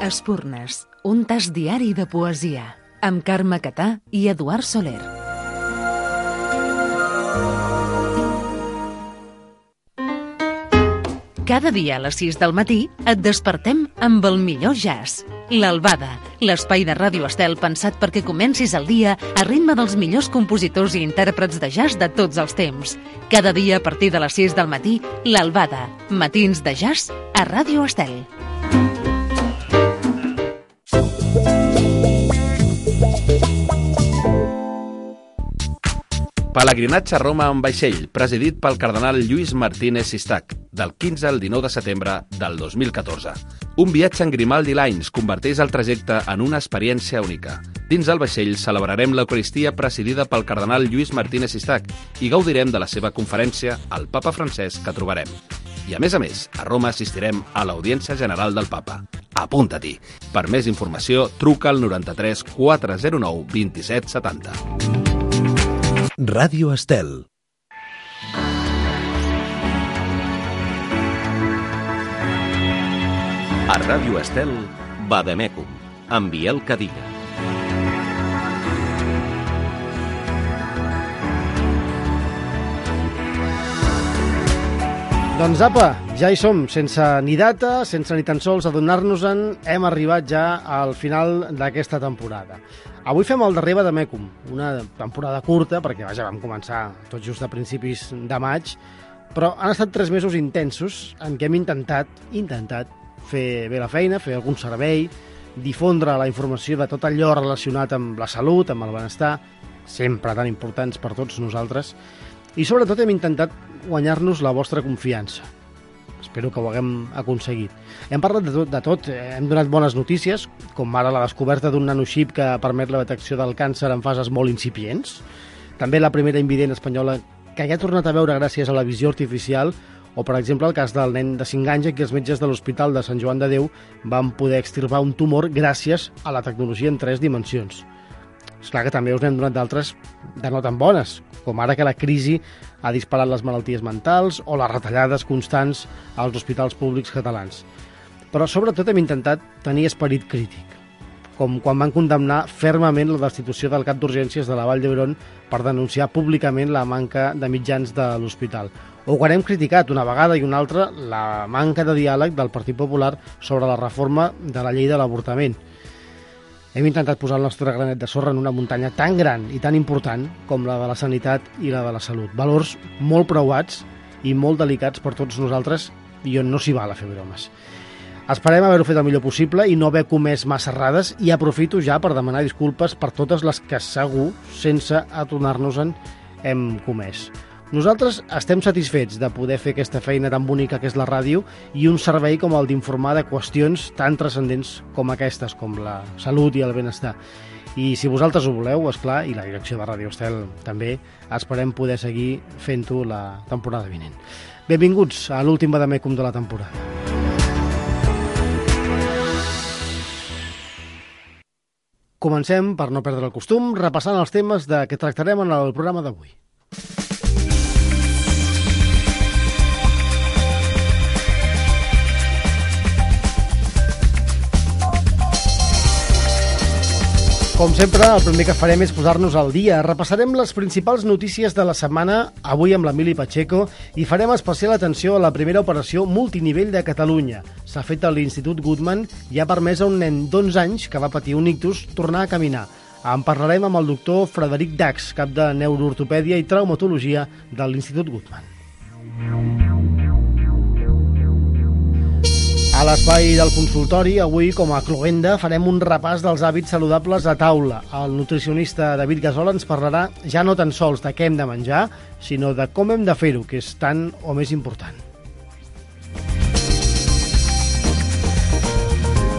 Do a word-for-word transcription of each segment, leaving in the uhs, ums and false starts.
Espurnes, un tas diari de poesia, amb Carme Catà i Eduard Soler. Cada dia a les sis del matí et despertem amb el millor jazz. L'Albada, l'espai de Ràdio Estel pensat perquè comencis el dia a ritme dels millors compositors i intèrprets de jazz de tots els temps. Cada dia a partir de les sis del matí, l'Albada, matins de jazz a Ràdio Estel. Pelegrinatge a Roma en vaixell, presidit pel cardenal Lluís Martínez Sistac, del quinze al dinou de setembre del dos mil catorze. Un viatge en Grimaldi Lines converteix el trajecte en una experiència única. Dins el vaixell celebrarem l'Eucaristia presidida pel cardenal Lluís Martínez Sistac i gaudirem de la seva conferència al papa francès que trobarem. I a més a més, a Roma assistirem a l'Audiència General del Papa. Apunta-t'hi. Per més informació, truca al noranta-tres quatre zero nou vint-i-set setanta. Ràdio Estel. A Ràdio Estel, Vademecum, amb Biel Cadilla. Doncs apa, ja hi som, sense ni data, sense ni tan sols adonar-nos-en, hem arribat ja al final d'aquesta temporada. Avui fem el darrer Vademecum, una temporada curta, perquè vaja, vam començar tot just a principis de maig, però han estat tres mesos intensos en què hem intentat, intentat fer bé la feina, fer algun servei, difondre la informació de tot allò relacionat amb la salut, amb el benestar, sempre tan importants per tots nosaltres, i sobretot hem intentat guanyar-nos la vostra confiança. Espero que ho haguem aconseguit. Hem parlat de tot, de tot, hem donat bones notícies, com ara la descoberta d'un nanoxip que permet la detecció del càncer en fases molt incipients, també la primera invident espanyola que ja ha tornat a veure gràcies a la visió artificial, o, per exemple, el cas del nen de cinc anys en què els metges de l'Hospital de Sant Joan de Déu van poder extirpar un tumor gràcies a la tecnologia en tres dimensions. És clar que també us n'hem donat d'altres de no tan bones, com ara que la crisi ha disparat les malalties mentals o les retallades constants als hospitals públics catalans. Però sobretot hem intentat tenir esperit crític, com quan van condemnar fermament la destitució del cap d'urgències de la Vall d'Hebron per denunciar públicament la manca de mitjans de l'hospital. O quan hem criticat una vegada i una altra la manca de diàleg del Partit Popular sobre la reforma de la llei de l'avortament. Hem intentat posar el nostre granet de sorra en una muntanya tan gran i tan important com la de la sanitat i la de la salut. Valors molt preuats i molt delicats per tots nosaltres i on no s'hi val a fer bromes. Esperem haver-ho fet el millor possible i no haver comès massa errades, i aprofito ja per demanar disculpes per totes les que segur, sense adonar-nos-en, hem comès. Nosaltres estem satisfets de poder fer aquesta feina tan bonica que és la ràdio i un servei com el d'informar de qüestions tan transcendents com aquestes, com la salut i el benestar. I si vosaltres ho voleu, esclar, i la direcció de Ràdio Estel també, esperem poder seguir fent-ho la temporada vinent. Benvinguts a l'últim Vademecum de la temporada. Comencem, per no perdre el costum, repassant els temes de què tractarem en el programa d'avui. Com sempre, el primer que farem és posar-nos al dia. Repassarem les principals notícies de la setmana, avui amb l'Emili Pacheco, i farem especial atenció a la primera operació multinivell de Catalunya. S'ha fet a l'Institut Guttmann i ha permès a un nen d'onze anys que va patir un ictus tornar a caminar. En parlarem amb el doctor Frederic Dax, cap de Neuroortopèdia i Traumatologia de l'Institut Guttmann. A l'espai del consultori, avui, com a cloenda, farem un repàs dels hàbits saludables a taula. El nutricionista David Gasol ens parlarà ja no tan sols de què hem de menjar, sinó de com hem de fer-ho, que és tan o més important.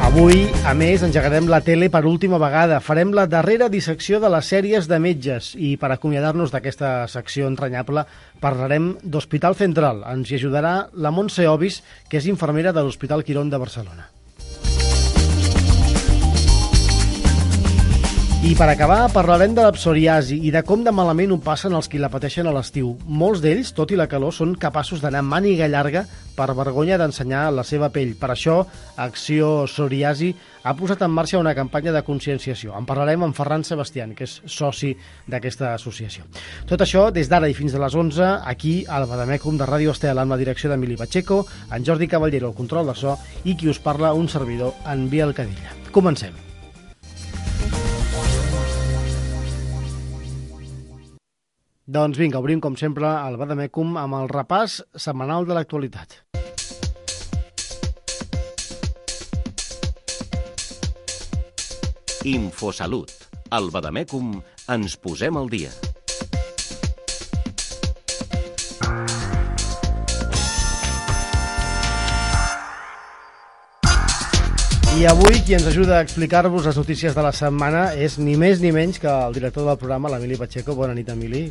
Avui, a més, engegarem la tele per última vegada. Farem la darrera dissecció de les sèries de metges i per acomiadar-nos d'aquesta secció entranyable parlarem d'Hospital Central. Ens hi ajudarà la Montse Obis, que és infermera de l'Hospital Quirón de Barcelona. I per acabar, parlarem de la psoriasi i de com de malament ho passen els qui la pateixen a l'estiu. Molts d'ells, tot i la calor, són capaços d'anar màniga llarga per vergonya d'ensenyar la seva pell. Per això, Acció Psoriasi ha posat en marxa una campanya de conscienciació. En parlarem amb Ferran Sebastián, que és soci d'aquesta associació. Tot això des d'ara i fins a les onze, aquí al Bademecum de Ràdio Estel, amb la direcció d'Emili Pacheco, en Jordi Caballero, el control de so, i qui us parla, un servidor, en Biel Cadilla. Comencem. Doncs vinga, obrim com sempre el Bademecum amb el repàs setmanal de l'actualitat. Infosalut. Al Bademecum ens posem al dia. I avui qui ens ajuda a explicar-vos les notícies de la setmana és ni més ni menys que el director del programa, l'Emili Pacheco. Bona nit, Emili.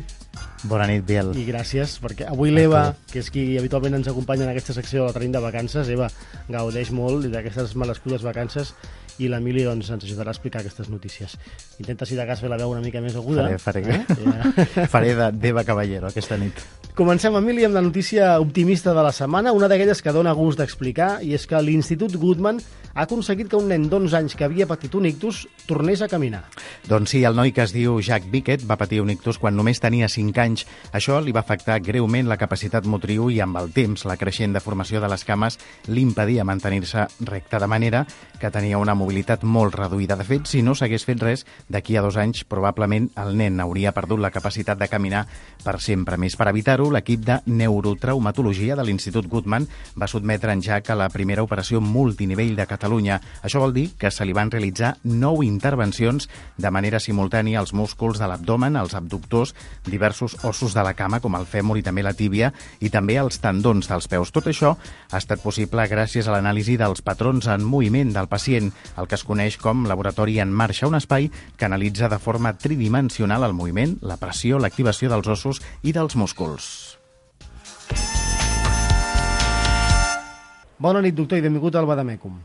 Bona nit, Biel. I gràcies, perquè avui l'Eva, que és qui habitualment ens acompanya en aquesta secció, la tenim de vacances. Eva gaudeix molt d'aquestes merescudes vacances i l'Emili doncs, ens ajudarà a explicar aquestes notícies. Intenta, si de cas, fer la veu una mica més aguda. Faré, faré, eh? ja. faré de d'Eva Caballero aquesta nit. Comencem, Emili, amb la notícia optimista de la setmana, una d'aquelles que dona gust d'explicar, i és que l'Institut Guttmann ha aconseguit que un nen d'onze anys que havia patit un ictus tornés a caminar. Doncs sí, el noi que es diu Jack Bickett va patir un ictus quan només tenia cinc anys. Això li va afectar greument la capacitat motriu i amb el temps la creixent deformació de les cames li impedia mantenir-se recte, de manera que tenia una mobilitat molt reduïda. De fet, si no s'hagués fet res, d'aquí a dos anys probablement el nen hauria perdut la capacitat de caminar per sempre. Més per evitar-ho, l'equip de neurotraumatologia de l'Institut Guttmann va sotmetre en Jack a la primera operació multinivell de Catalunya. Això vol dir que se li van realitzar nou intervencions de manera simultània als músculs de l'abdomen, els abductors, diversos ossos de la cama, com el fèmur i també la tíbia, i també els tendons dels peus. Tot això ha estat possible gràcies a l'anàlisi dels patrons en moviment del pacient, el que es coneix com Laboratori en Marxa, un espai que analitza de forma tridimensional el moviment, la pressió, l'activació dels ossos i dels músculs. Bona nit, doctor, i benvingut al Bademecum.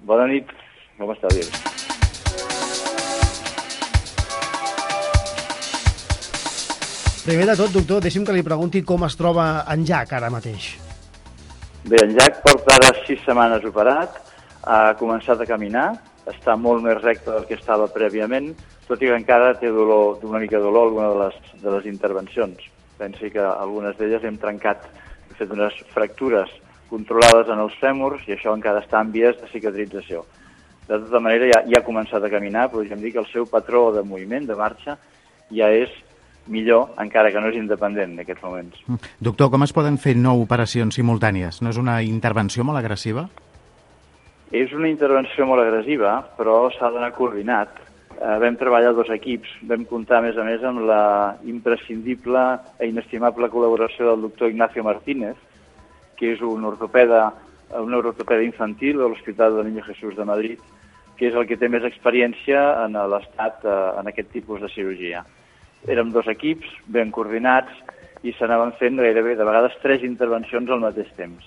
Bona nit, com està, Biel? Primer de tot, doctor, deixi'm que li pregunti com es troba en Jack ara mateix. Bé, en Jack porta ara sis setmanes operat, ha començat a caminar, està molt més recte del que estava prèviament, tot i que encara té dolor, una mica de dolor alguna de les, de les intervencions. Pensi que algunes d'elles hem trencat, hem fet unes fractures controlades en els fèmurs i això encara està en vies de cicatrització. De tota manera, ja, ja ha començat a caminar, podríem dir que el seu patró de moviment, de marxa, ja és millor, encara que no és independent en aquests moments. Doctor, com es poden fer nou operacions simultànies? No és una intervenció molt agressiva? És una intervenció molt agressiva, però s'ha d'anar coordinat. Eh, vam treballar dos equips, vam comptar, a més a més, amb la imprescindible i inestimable col·laboració del doctor Ignacio Martínez, que és un ortopeda, un ortopeda infantil de l'Hospital del Niño Jesús de Madrid, que és el que té més experiència en l'estat en aquest tipus de cirurgia. Érem dos equips, ben coordinats, i s'anaven fent gairebé, de vegades, tres intervencions al mateix temps.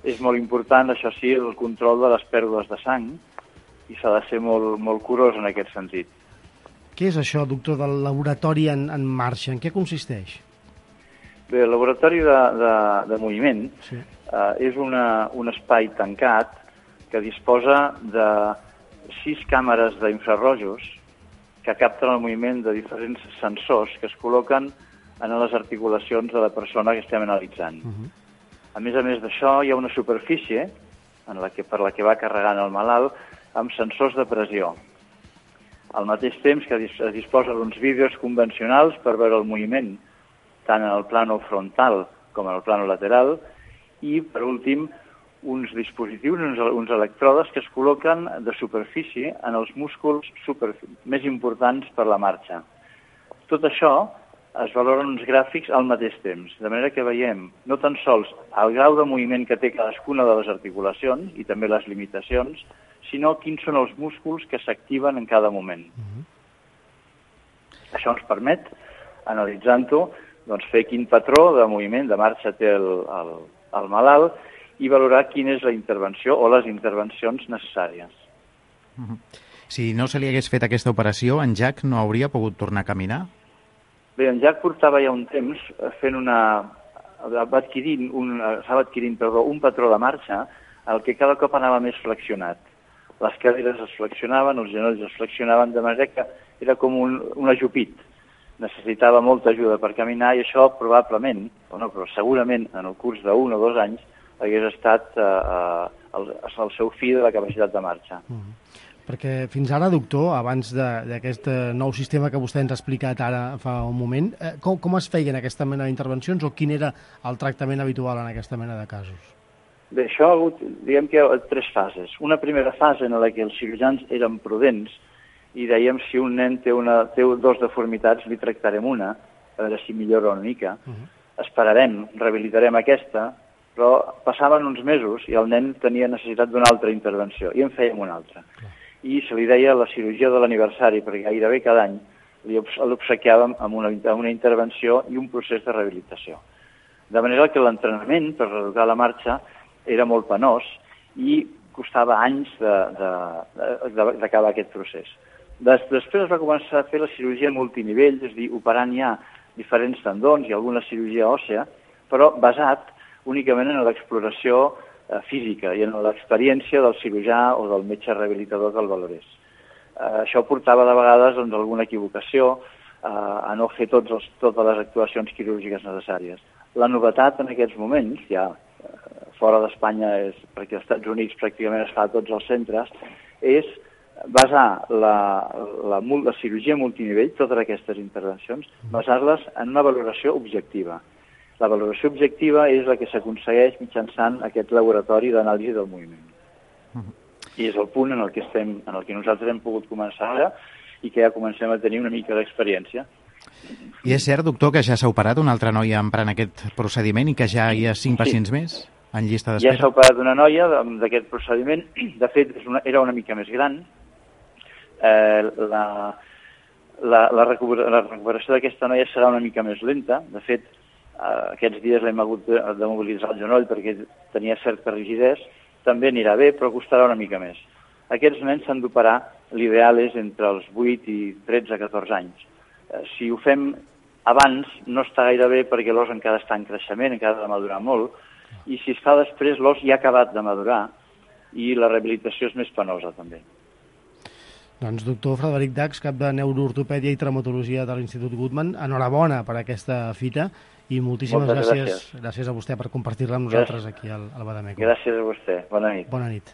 És molt important, això sí, el control de les pèrdues de sang, i s'ha de ser molt, molt curós en aquest sentit. Què és això, doctor, del laboratori en, en marxa? En què consisteix? Bé, el laboratori de, de, de moviment sí. eh, és una, un espai tancat que disposa de sis càmeres d'infrarrojos que capten el moviment de diferents sensors que es col·loquen en les articulacions de la persona que estem analitzant. Uh-huh. A més a més d'això, hi ha una superfície en la que, per la que va carregant el malalt amb sensors de pressió. Al mateix temps que es disposa d'uns vídeos convencionals per veure el moviment tant en el plano frontal com en el plano lateral, i, per últim, uns dispositius, uns, uns electrodes que es col·loquen de superfície en els músculs super, més importants per la marxa. Tot això es valoren uns gràfics al mateix temps, de manera que veiem no tan sols el grau de moviment que té cadascuna de les articulacions i també les limitacions, sinó quins són els músculs que s'activen en cada moment. Uh-huh. Això ens permet, analitzant-ho, doncs fer quin patró de moviment, de marxa té el, el, el malalt i valorar quina és la intervenció o les intervencions necessàries. Uh-huh. Si no se li hagués fet aquesta operació, en Jack no hauria pogut tornar a caminar? Bé, en Jack portava ja un temps fent una... va adquirint un, estava adquirint perdó, un patró de marxa, el que cada cop anava més flexionat. Les caderes es flexionaven, els genolls es flexionaven, de manera que era com un, un ajupit. Necessitava molta ajuda per caminar i això probablement, o no, però segurament en el curs d'un o dos anys hagués estat eh, el, el seu fi de la capacitat de marxa. Mm. Perquè fins ara, doctor, abans d'aquest nou sistema que vostè ens ha explicat ara fa un moment, eh, com, com es feien aquesta mena d'intervencions o quin era el tractament habitual en aquesta mena de casos? Bé, això ha hagut, diguem que hi ha tres fases. Una primera fase en la que els cirurgians eren prudents i dèiem si un nen té, una, té dos deformitats, li tractarem una, a veure si millora una mica. Uh -huh. Esperarem, rehabilitarem aquesta, però passaven uns mesos i el nen tenia necessitat d'una altra intervenció i en fèiem una altra. Uh -huh. I se li deia la cirurgia de l'aniversari, perquè gairebé cada any l'obsequiàvem amb una, amb una intervenció i un procés de rehabilitació. De manera que l'entrenament per reeducar la marxa era molt penós i costava anys d'acabar aquest procés. Des, després es va començar a fer la cirurgia multinivell, és a dir, operant ja diferents tendons i alguna cirurgia òssea, però basat únicament en l'exploració eh, física i en l'experiència del cirurgià o del metge rehabilitador que el valorés. Eh, això portava de vegades doncs, alguna equivocació eh, a no fer tots els, totes les actuacions quirúrgiques necessàries. La novetat en aquests moments, ja eh, fora d'Espanya, és perquè als Estats Units pràcticament es fa a tots els centres, és basar la, la, la cirurgia multinivell, totes aquestes intervencions, basar-les en una valoració objectiva. La valoració objectiva és la que s'aconsegueix mitjançant aquest laboratori d'anàlisi del moviment. Uh-huh. I és el punt en el que estem, en el que nosaltres hem pogut començar ara i que ja comencem a tenir una mica d'experiència. I és cert, doctor, que ja s'ha operat una altra noia emprant aquest procediment i que ja hi ha cinc pacients sí. més en llista d'espera? Ja s'ha operat una noia d'aquest procediment. De fet, és una, era una mica més gran. Eh, la, la, la, recuperació, la recuperació d'aquesta noia serà una mica més lenta. De fet, eh, aquests dies l'hem hagut de, de mobilitzar el genoll perquè tenia certa rigidesa. També anirà bé, però costarà una mica més. Aquests nens s'han d'operar, l'ideal és entre els vuit i tretze a catorze anys. Eh, si ho fem abans, no està gaire bé perquè l'os encara està en creixement, encara ha de madurar molt, i si es fa després, l'os ja ha acabat de madurar i la rehabilitació és més penosa també. Doncs doctor Frederic Dax, cap de Neuroortopèdia i Traumatologia de l'Institut Guttmann, enhorabona per aquesta fita i moltíssimes gràcies, gràcies gràcies a vostè per compartir-la amb nosaltres aquí al, al Bademecum. Gràcies a vostè. Bona nit. Bona nit.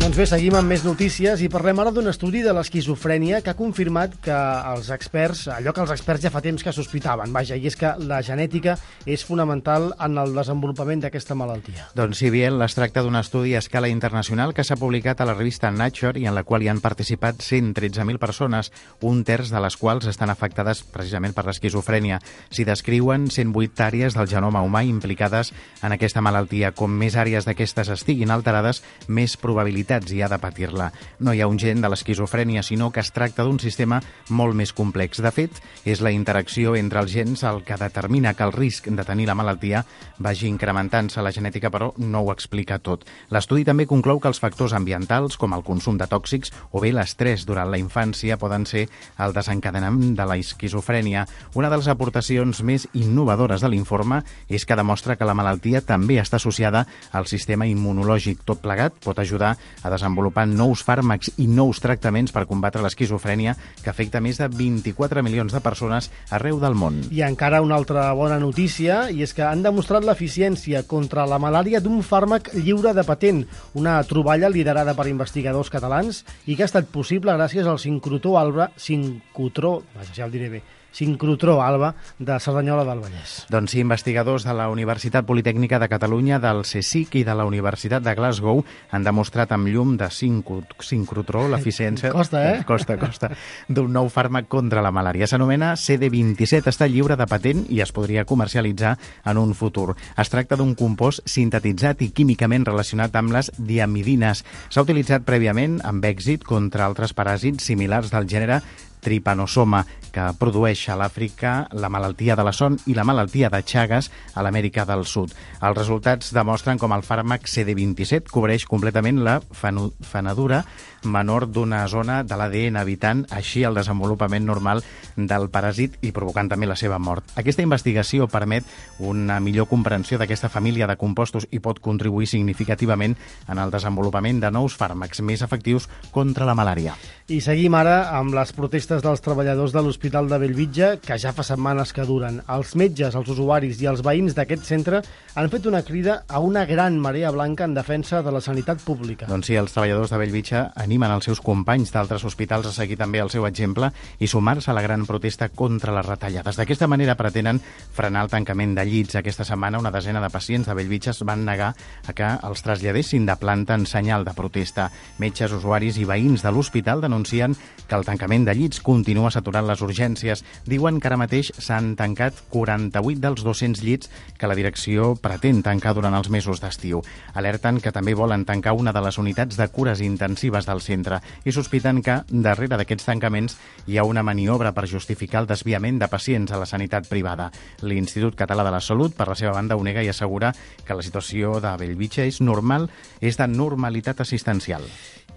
Doncs bé, seguim amb més notícies i parlem ara d'un estudi de l'esquizofrènia que ha confirmat que els experts, allò que els experts ja fa temps que sospitaven, vaja, i és que la genètica és fonamental en el desenvolupament d'aquesta malaltia. Doncs sí, Biel, es tracta d'un estudi a escala internacional que s'ha publicat a la revista Nature i en la qual hi han participat cent tretze mil persones, un terç de les quals estan afectades precisament per l'esquizofrènia. S'hi descriuen cent vuit àrees del genoma humà implicades en aquesta malaltia. Com més àrees d'aquestes estiguin alterades, més probabilitats hi ha de patir-la. No hi ha un gen de l'esquizofrènia, sinó que es tracta d'un sistema molt més complex. De fet, és la interacció entre els gens el que determina que el risc de tenir la malaltia vagi incrementant-se. La genètica, però, no ho explica tot. L'estudi també conclou que els factors ambientals, com el consum de tòxics o bé l'estrès durant la infància, poden ser el desencadenament de l'esquizofrènia. Una de les aportacions més innovadores de l'informe és que demostra que la malaltia també està associada al sistema immunològic. Tot plegat pot ajudar a desenvolupar nous fàrmacs i nous tractaments per combatre l'esquizofrènia que afecta més de vint-i-quatre milions de persones arreu del món. I encara una altra bona notícia, i és que han demostrat l'eficiència contra la malària d'un fàrmac lliure de patent, una troballa liderada per investigadors catalans i que ha estat possible gràcies al sincrotró alba, sincrotró, ja el diré bé, sincrotró alba de Cerdanyola del Vallès. Doncs sí, investigadors de la Universitat Politècnica de Catalunya, del CSIC i de la Universitat de Glasgow han demostrat amb llum de sincrotró l'eficiència... Costa, eh? Costa, costa. D'un nou fàrmac contra la malària. S'anomena C D vint-i-set, està lliure de patent i es podria comercialitzar en un futur. Es tracta d'un compost sintetitzat i químicament relacionat amb les diamidines. S'ha utilitzat prèviament amb èxit contra altres paràsits similars del gènere tripanosoma, que produeix a l'Àfrica la malaltia de la son i la malaltia de Chagas a l'Amèrica del Sud. Els resultats demostren com el fàrmac C D vint-i-set cobreix completament la fenedura menor d'una zona de l'A D N, evitant així el desenvolupament normal del paràsit i provocant també la seva mort. Aquesta investigació permet una millor comprensió d'aquesta família de compostos i pot contribuir significativament en el desenvolupament de nous fàrmacs més efectius contra la malària. I seguim ara amb les protestes dels treballadors de l'Hospital de Bellvitge, que ja fa setmanes que duren. Els metges, els usuaris i els veïns d'aquest centre han fet una crida a una gran marea blanca en defensa de la sanitat pública. Doncs sí, els treballadors de Bellvitge animen els seus companys d'altres hospitals a seguir també el seu exemple i sumar-se a la gran protesta contra les retallades. D'aquesta manera pretenen frenar el tancament de llits. Aquesta setmana una desena de pacients de Bellvitge es van negar a que els traslladessin de planta en senyal de protesta. Metges, usuaris i veïns de l'hospital denuncien que el tancament de llits continua saturant les urgències. Diuen que ara mateix s'han tancat quaranta-vuit dels dos-cents llits que la direcció pretén tancar durant els mesos d'estiu. Alerten que també volen tancar una de les unitats de cures intensives del centre i sospiten que darrere d'aquests tancaments hi ha una maniobra per justificar el desviament de pacients a la sanitat privada. L'Institut Català de la Salut, per la seva banda, ho nega i assegura que la situació de Bellvitge és normal, és de normalitat assistencial.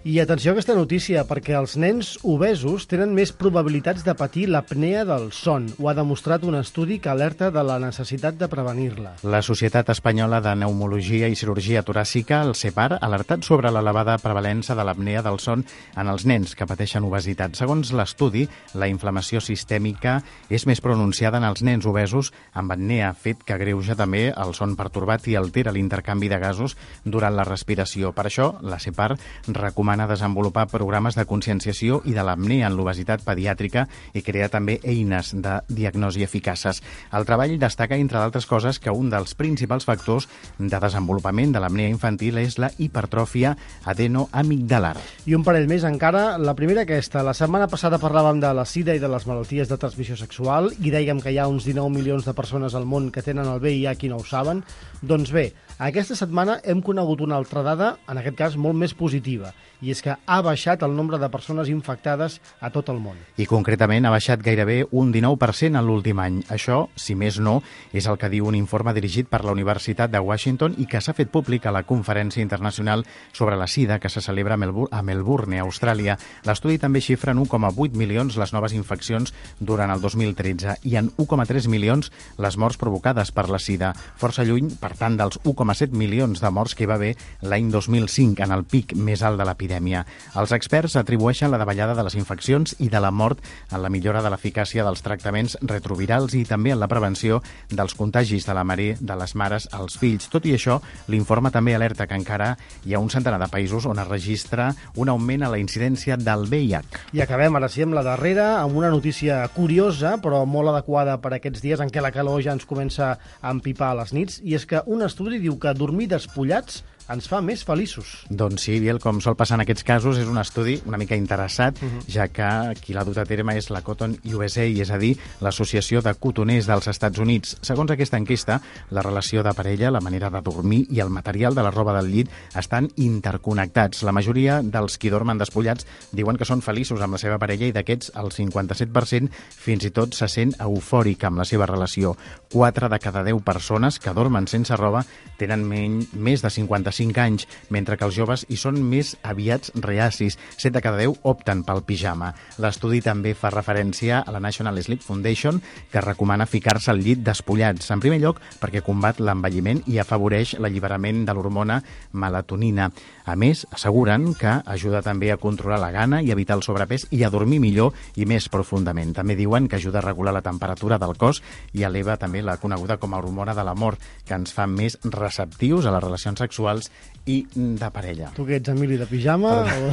I atenció a aquesta notícia, perquè els nens obesos tenen més probabilitats de patir l'apnea del son. Ho ha demostrat un estudi que alerta de la necessitat de prevenir-la. La Societat Espanyola de Pneumologia i Cirurgia Toràcica, el CEPAR, ha alertat sobre l'elevada prevalença de l'apnea del son en els nens que pateixen obesitat. Segons l'estudi, la inflamació sistèmica és més pronunciada en els nens obesos amb apnea, fet que agreuja també el son pertorbat i altera l'intercanvi de gasos durant la respiració. Per això, la CEPAR recomana desenvolupar programes de conscienciació i de l'apnea en l'obesitat pediàtrica i crear també eines de diagnosi eficaces. El treball destaca, entre d'altres coses, que un dels principals factors de desenvolupament de l'apnea infantil és la hipertròfia adenoamigdalar. I un parell més encara, la primera aquesta. La setmana passada parlàvem de la sida i de les malalties de transmissió sexual i dèiem que hi ha uns dinou milions de persones al món que tenen el V I H i no ho saben. Doncs bé, aquesta setmana hem conegut una altra dada, en aquest cas molt més positiva, i és que ha baixat el nombre de persones infectades a tot el món. I concretament ha baixat gairebé un dinou per cent en l'últim any. Això, si més no, és el que diu un informe dirigit per la Universitat de Washington i que s'ha fet públic a la Conferència Internacional sobre la Sida que se celebra a Melbourne, a Melbourne, Austràlia. L'estudi també xifra en un coma vuit milions les noves infeccions durant el dos mil tretze i en un coma tres milions les morts provocades per la sida. Força lluny, per tant, dels un coma set milions de morts que hi va haver l'any dos mil cinc, en el pic més alt de l'epidèmia. Els experts atribueixen la davallada de les infeccions i de la mort en la millora de l'eficàcia dels tractaments retrovirals i també en la prevenció dels contagis de la mare de les mares als fills. Tot i això, l'informe també alerta que encara hi ha un centenar de països on es registra un augment a la incidència del V I H. I acabem ara sí amb la darrera, amb una notícia curiosa, però molt adequada per aquests dies en què la calor ja ens comença a empipar a les nits, i és que un estudi diu que dormir despullats ens fa més feliços. Doncs sí, Biel, com sol passar en aquests casos, és un estudi una mica interessat, uh-huh. ja que qui l'ha dut a terme és la Cotton U S A, és a dir, l'Associació de Cotoners dels Estats Units. Segons aquesta enquesta, la relació de parella, la manera de dormir i el material de la roba del llit estan interconnectats. La majoria dels qui dormen despullats diuen que són feliços amb la seva parella i d'aquests el cinquanta-set per cent fins i tot se sent eufòric amb la seva relació. quatre de cada deu persones que dormen sense roba tenen men- més de cinquanta-cinc anys, mentre que els joves hi són més aviats reacis. set de cada deu opten pel pijama. L'estudi també fa referència a la National Sleep Foundation, que recomana ficar-se al llit despullats. En primer lloc, perquè combat l'envelliment i afavoreix l'alliberament de l'hormona melatonina. A més, asseguren que ajuda també a controlar la gana i evitar el sobrepès i a dormir millor i més profundament. També diuen que ajuda a regular la temperatura del cos i eleva també la coneguda com a hormona de l'amor, que ens fa més receptius a les relacions sexuals i de parella. Tu què ets, Emili, de pijama? O...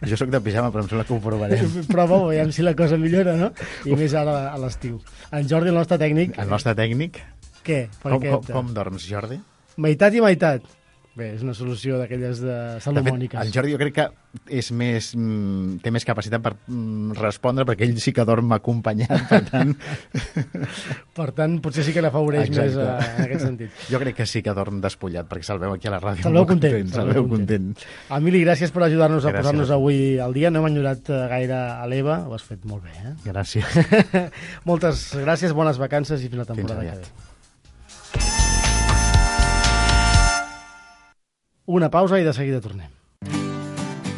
Jo sóc de pijama, però em sembla que ho provarem. Prova-ho, veiem si la cosa millora, no? I més ara a l'estiu. En Jordi, el nostre tècnic... El nostre tècnic? Què? Per Com, què com, com dorms, Jordi? Meitat i meitat. Bé, és una solució d'aquelles de De salomòniques. fet, el Jordi jo crec que és més, mm, té més capacitat per mm, respondre, perquè ell sí que dorm acompanyat, per tant... Per tant, potser sí que l'afavoreix més Exacte. eh, en aquest sentit. Jo crec que sí que dorm despullat, perquè se'l veu aquí a la ràdio. Se'l veu molt content, Se'l veu content. Emili, gràcies per ajudar-nos a Gràcies. posar-nos avui al dia. No hem enyorat eh, gaire a l'Eva, ho has fet molt bé, eh? Gràcies. Moltes gràcies, bones vacances i fins la temporada Fins que aviat. ve. Una pausa i de seguida tornem.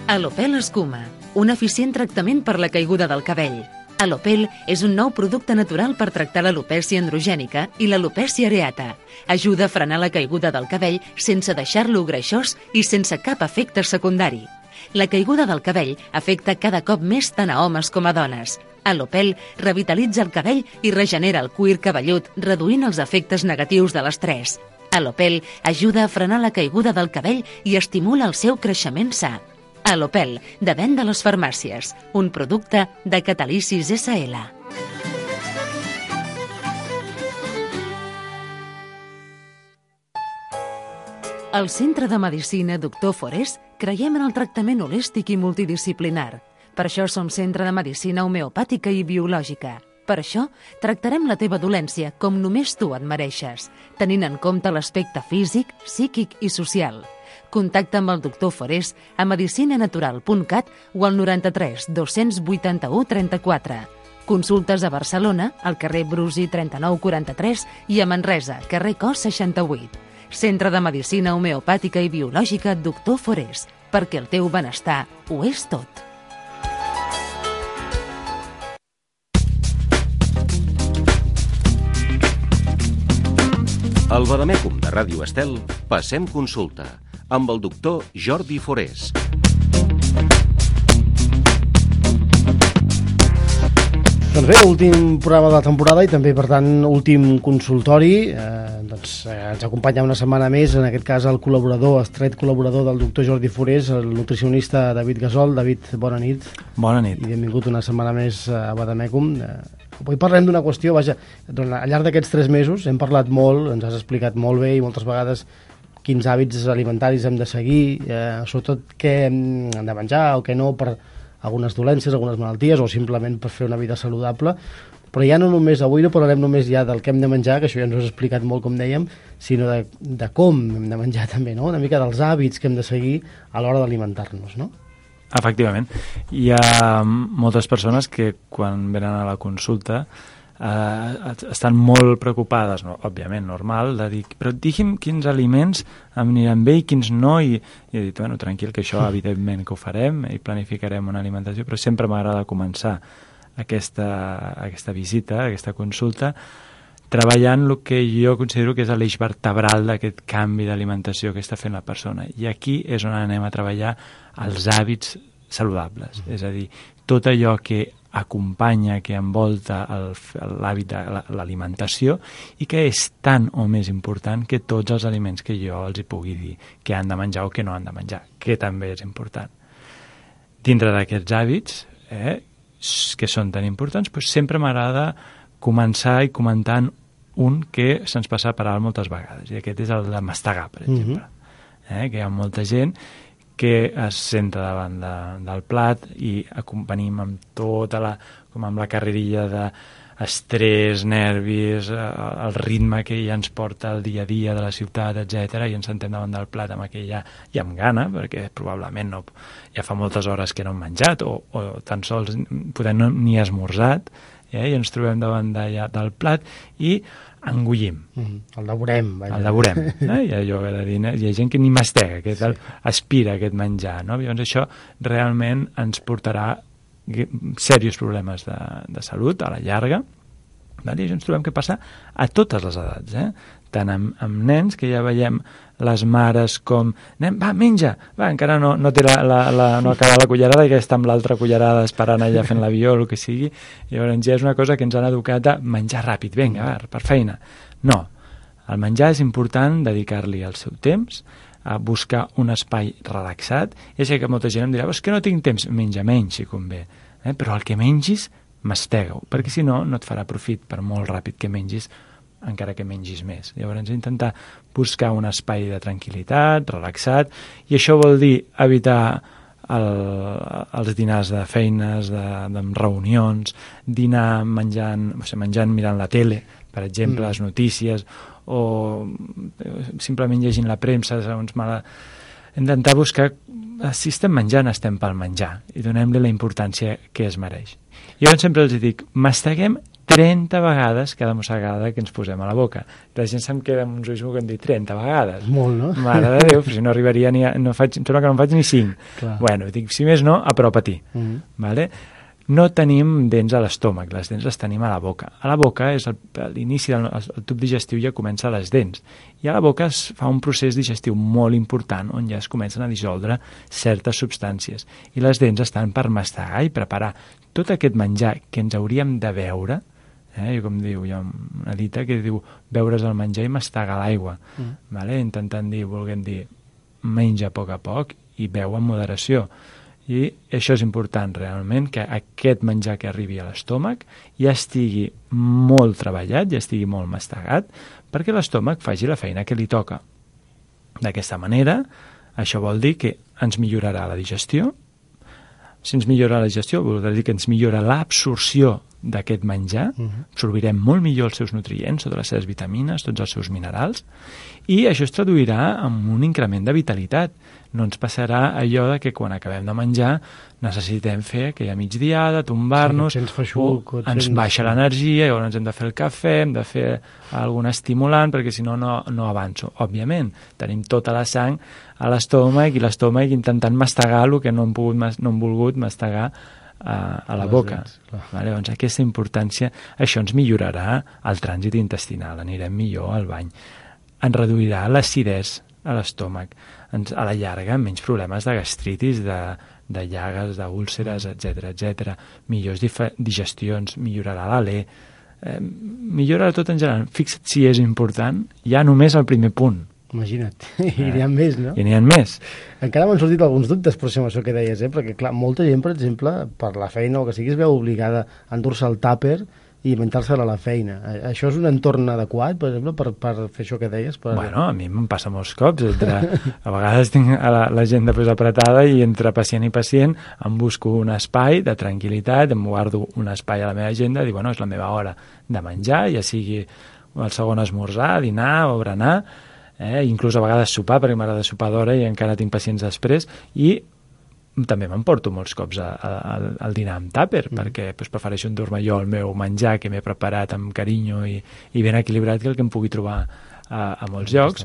Alopel Escuma, un eficient tractament per la caiguda del cabell. Alopel és un nou producte natural per tractar l'alopècia androgènica i l'alopècia areata. Ajuda a frenar la caiguda del cabell sense deixar-lo greixós i sense cap efecte secundari. La caiguda del cabell afecta cada cop més tant a homes com a dones. Alopel revitalitza el cabell i regenera el cuir cabellut, reduint els efectes negatius de l'estrès. Alopel ajuda a frenar la caiguda del cabell i estimula el seu creixement sa. Alopel, de venda a les farmàcies, un producte de Catalicis essa ele. Al Centre de Medicina doctor Forés creiem en el tractament holístic i multidisciplinar. Per això som centre de medicina homeopàtica i biològica. Per això tractarem la teva dolència com només tu et mereixes, tenint en compte l'aspecte físic, psíquic i social. Contacta amb el doctor Forés a medicinanatural punt cat o al noranta-tres dos-cents vuitanta-u trenta-quatre. Consultes a Barcelona, al carrer Brusi trenta-nou quaranta-tres i a Manresa, carrer Cos seixanta-vuit. Centre de Medicina Homeopàtica i Biològica doctor Forés, perquè el teu benestar ho és tot. Al Vademècum de Ràdio Estel, passem consulta amb el doctor Jordi Forés. Doncs bé, últim programa de la temporada i també, per tant, últim consultori. Eh, doncs, eh, ens acompanya una setmana més, en aquest cas el col·laborador, estret col·laborador del doctor Jordi Forés, el nutricionista David Gasol. David, bona nit. Bona nit. I benvingut una setmana més a Vademècum. Eh, avui parlem d'una qüestió, vaja, doncs, al llarg d'aquests tres mesos hem parlat molt, ens has explicat molt bé i moltes vegades quins hàbits alimentaris hem de seguir, eh, sobretot què hem de menjar o què no per algunes dolències, algunes malalties o simplement per fer una vida saludable. Però ja no només, avui no parlarem només ja del que hem de menjar, que això ja ens ho has explicat molt, com dèiem, sinó de, de com hem de menjar també, no? Una mica dels hàbits que hem de seguir a l'hora d'alimentar-nos, no? Efectivament. Hi ha moltes persones que quan venen a la consulta eh, estan molt preocupades, no? Òbviament, normal, de dir, però digui'm quins aliments em aniran bé i quins no, i, i he dit, bueno, tranquil, que això evidentment que ho farem i planificarem una alimentació, però sempre m'agrada començar aquesta, aquesta visita, aquesta consulta, treballant el que jo considero que és l'eix vertebral d'aquest canvi d'alimentació que està fent la persona. I aquí és on anem a treballar els hàbits saludables, és a dir, tot allò que acompanya, que envolta l'hàbit de l'alimentació i que és tan o més important que tots els aliments que jo els hi pugui dir que han de menjar o que no han de menjar, que també és important. Dintre d'aquests hàbits, eh, que són tan importants, doncs sempre m'agrada començar i comentant un que se'ns passa per alt moltes vegades, i aquest és el de mastegar, per exemple. Uh-huh. eh, que hi ha molta gent que es senta davant de, del plat i acompanim amb tota la, com amb la carrerilla d'estrès, nervis, el ritme que ja ens porta el dia a dia de la ciutat, etcètera, i ens sentem davant del plat amb aquella, i amb gana, perquè probablement no, ja fa moltes hores que no hem menjat, o, o tan sols podem no, ni esmorzat, eh, i ens trobem davant de, ja, del plat i engullim. Mm, el devorem. Vaja. El devorem. Eh? Hi ha allò de dir, hi ha gent que ni mastega, que sí. aspira aquest menjar. No? Llavors això realment ens portarà serios problemes de, de salut a la llarga. I això ens trobem que passa a totes les edats. Eh? Tant amb, amb nens, que ja veiem les mares com, nen, va, menja, va, encara no, no té la, la, la, no acaba la cullerada i que està amb l'altra cullerada esperant allà fent l'avió o el que sigui. Llavors ja és una cosa que ens han educat a menjar ràpid, vinga, va, per feina. No, el menjar és important dedicar-li el seu temps, a buscar un espai relaxat. Ja sé que molta gent em dirà, és que no tinc temps, menja menys si convé, eh? Però el que mengis, mastega-ho, perquè si no, no et farà profit per molt ràpid que mengis encara que mengis més. Llavors, intentar buscar un espai de tranquil·litat, relaxat, i això vol dir evitar el, els dinars de feines, de, de reunions, dinar menjant, o sigui, menjant mirant la tele, per exemple, mm. les notícies, o simplement llegint la premsa, segons mala... Intentar buscar, si estem menjant, estem pel menjar, i donem-li la importància que es mereix. Jo sempre els dic, masteguem trenta vegades cada mossegada que ens posem a la boca. La gent se'm queda amb uns ulls que em diu trenta vegades. Molt, no? Mare de Déu, si no arribaria ni a... No faig, em sembla que no en faig ni cinc. Clar. Bueno, dic, si més no, apropa-t'hi. Mm-hmm. Vale? No tenim dents a l'estómac, les dents les tenim a la boca. A la boca és el, l'inici del el, el tub digestiu, ja comença a les dents. I a la boca es fa un procés digestiu molt important on ja es comencen a dissoldre certes substàncies. I les dents estan per mastegar i preparar tot aquest menjar que ens hauríem de beure. Eh? Com diu, hi ha una dita que diu beure's el menjar i mastegar l'aigua. Mm. Vale? Intentant dir, volguem dir, menja a poc a poc i beu amb moderació. I això és important realment, que aquest menjar que arribi a l'estómac ja estigui molt treballat, ja estigui molt mastegat, perquè l'estómac faci la feina que li toca. D'aquesta manera, això vol dir que ens millorarà la digestió. Si ens millora la digestió, vol dir que ens millora l'absorció d'aquest menjar, uh-huh. absorbirem molt millor els seus nutrients, totes les seves vitamines, tots els seus minerals, i això es traduirà en un increment de vitalitat. No ens passarà allò de que quan acabem de menjar necessitem fer aquella migdiada, tombar-nos, sí, feixuc, o ens sents... baixa l'energia, llavors ens hem de fer el cafè, hem de fer algun estimulant, perquè si no, no, no avanço. Òbviament, tenim tota la sang a l'estómac i l'estómac intentant mastegar el que no hem, pogut, no hem volgut mastegar a, a la boca. Vale? Doncs aquesta importància, això ens millorarà el trànsit intestinal, anirem millor al bany. Ens reduirà l'acidesa a l'estómac, ens, a la llarga menys problemes de gastritis, de, de llagues, d'úlceres, etcètera, etcètera. Millors digestions, millorarà l'alè, eh, millorarà tot en general. Fixa't si és important, ja només el primer punt. Imagina't, eh? I n'hi ha més, no? I n'hi ha més. Encara m'han sortit alguns dubtes per això que deies, eh? Perquè clar, molta gent, per exemple, per la feina o que sigui, es veu obligada a endur-se el tàper i menjar-se-la a la feina. Això és un entorn adequat, per exemple, per, per fer això que deies? Per... Bueno, a mi em passa molts cops. Entre, a vegades tinc a la, la gent després apretada i entre pacient i pacient em busco un espai de tranquil·litat, em guardo un espai a la meva agenda i dic, bueno, és la meva hora de menjar, ja sigui el segon esmorzar, dinar o berenar, eh? Inclús a vegades sopar, perquè m'agrada sopar d'hora i encara tinc pacients després, i també m'emporto molts cops a, a, a, al dinar amb tàper, mm. perquè pues, prefereixo endur-me jo el meu menjar que m'he preparat amb carinyo i, i ben equilibrat que el que em pugui trobar a, a molts mm, llocs.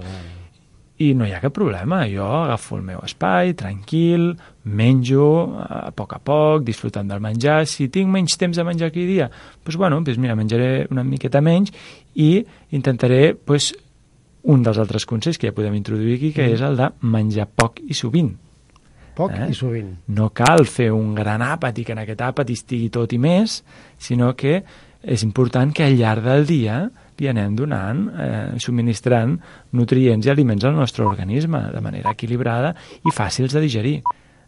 I no hi ha cap problema, jo agafo el meu espai, tranquil, menjo a poc a poc, disfrutant del menjar. Si tinc menys temps de menjar aquell dia, doncs, bueno, doncs mira, menjaré una miqueta menys i intentaré pues, un dels altres consells que ja podem introduir aquí, que mm. és el de menjar poc i sovint. Poc eh? i sovint. No cal fer un gran àpat i que en aquest àpat hi estigui tot i més, sinó que és important que al llarg del dia li anem donant, eh, subministrant nutrients i aliments al nostre organisme de manera equilibrada i fàcils de digerir.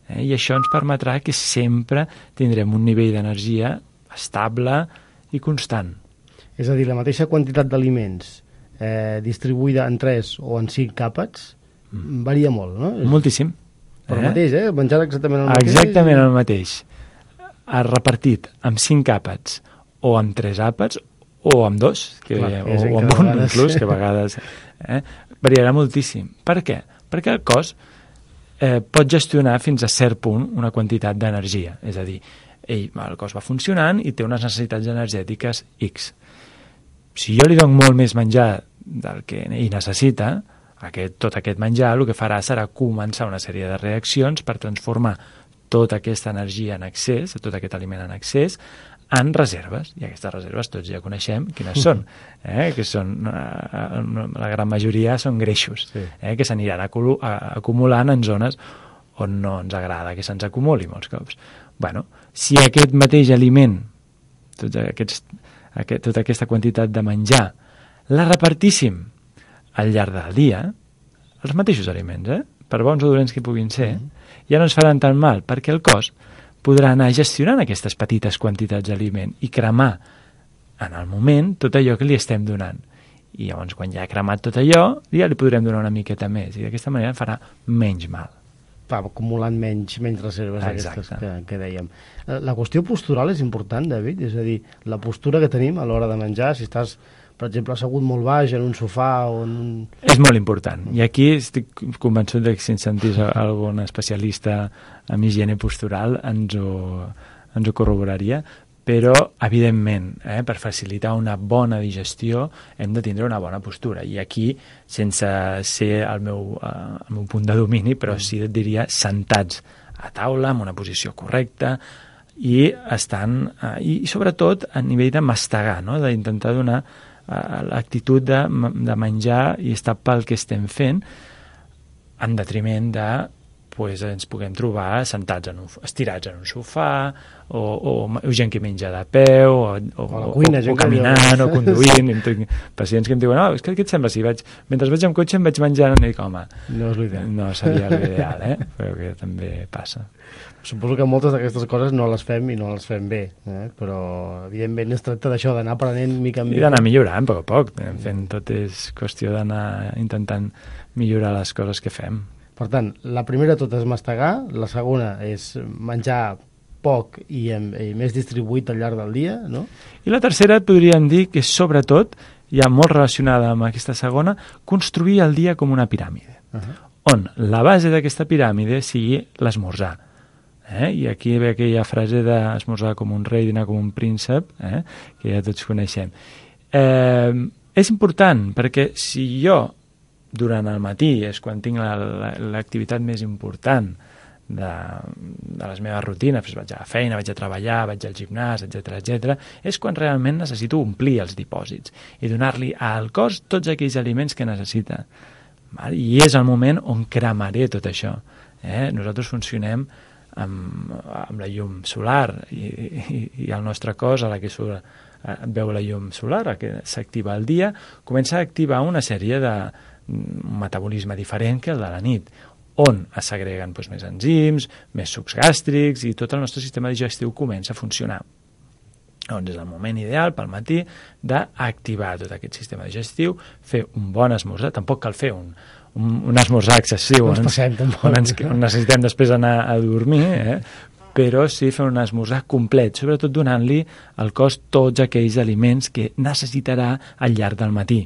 Eh? I això ens permetrà que sempre tindrem un nivell d'energia estable i constant. És a dir, la mateixa quantitat d'aliments eh, distribuïda en tres o en cinc àpats mm. varia molt, no? Moltíssim. Per el eh? mateix, eh? Menjar exactament el mateix. Exactament el mateix. Repartit amb cinc àpats o amb tres àpats o amb dos, que, Clar, o, o amb un vegades. Inclús, que a vegades eh? variarà moltíssim. Per què? Perquè el cos eh, pot gestionar fins a cert punt una quantitat d'energia. És a dir, ell, el cos va funcionant i té unes necessitats energètiques X. Si jo li dono molt més menjar del que ell necessita, Aquest, tot aquest menjar el que farà serà començar una sèrie de reaccions per transformar tota aquesta energia en excés, tot aquest aliment en excés, en reserves. I aquestes reserves tots ja coneixem quines són, eh? que són eh, la gran majoria són greixos, sí. eh? que s'aniran acumulant en zones on no ens agrada que se'ns acumuli molts cops. Bueno, si aquest mateix aliment, tots aquests, aquest, tota aquesta quantitat de menjar, la repartíssim al llarg del dia, els mateixos aliments, eh? per bons o dolents que puguin ser, mm. ja no ens faran tan mal, perquè el cos podrà anar gestionant aquestes petites quantitats d'aliment i cremar en el moment tot allò que li estem donant. i llavors quan ja ha cremat tot allò ja li podrem donar una miqueta més i d'aquesta manera farà menys mal. Va acumulant menys, menys reserves aquestes que, que dèiem. La qüestió postural és important, David, és a dir, la postura que tenim a l'hora de menjar, si estàs, per exemple, assegut molt baix en un sofà o en un... És molt important, i aquí estic convençut que si ens sentís algun especialista en higiene postural ens ho, ens ho corroboraria, però, evidentment, eh, per facilitar una bona digestió hem de tindre una bona postura. I aquí, sense ser el meu, eh, el meu punt de domini, però sí et diria sentats a taula, en una posició correcta, i estan, eh, i sobretot a nivell de mastegar, no? D'intentar donar eh, l'actitud de, de menjar i estar pel que estem fent, en detriment de pues ens puguem trobar sentats en un, estirats en un sofà o, o, o gent que menja de peu o, o, o, cuina, o, o caminant o conduint. Tinc pacients que em diuen, no, és que què et sembla si vaig, mentre vaig amb cotxe em vaig menjant i dic, home, no és l'ideal. No seria l'ideal, eh? Però que també passa. Suposo que moltes d'aquestes coses no les fem i no les fem bé, eh? Però evidentment es tracta d'això, d'anar aprenent mica en mica. I d'anar millorant a poc a poc. Fent tot és qüestió d'anar intentant millorar les coses que fem. Per tant, la primera tot és mastegar, la segona és menjar poc i, i més distribuït al llarg del dia, no? I la tercera podríem dir que sobretot, ja molt relacionada amb aquesta segona, construir el dia com una piràmide, uh-huh. on la base d'aquesta piràmide sigui l'esmorzar. Eh? I aquí ve aquella frase d'esmorzar com un rei, dinar com un príncep, eh? que ja tots coneixem. Eh, és important, perquè si jo durant el matí és quan tinc l'activitat més important de, de les meves rutines, doncs vaig a la feina, vaig a treballar, vaig al gimnàs, etcètera, etcètera, és quan realment necessito omplir els dipòsits i donar-li al cos tots aquells aliments que necessita. Val? I és el moment on cremaré tot això. Eh? Nosaltres funcionem amb, amb la llum solar i, i, i el nostre cos, a la que surt, veu la llum solar, a que s'activa el dia, comença a activar una sèrie de un metabolisme diferent que el de la nit, on es segreguen doncs, més enzims, més sucs gàstrics i tot el nostre sistema digestiu comença a funcionar. Doncs és el moment ideal pel matí d'activar tot aquest sistema digestiu, fer un bon esmorzar, tampoc cal fer un, un, un esmorzar excessiu no on, ens, passem, on, ens, on necessitem després anar a dormir, eh? Però sí fer un esmorzar complet, sobretot donant-li al cos tots aquells aliments que necessitarà al llarg del matí.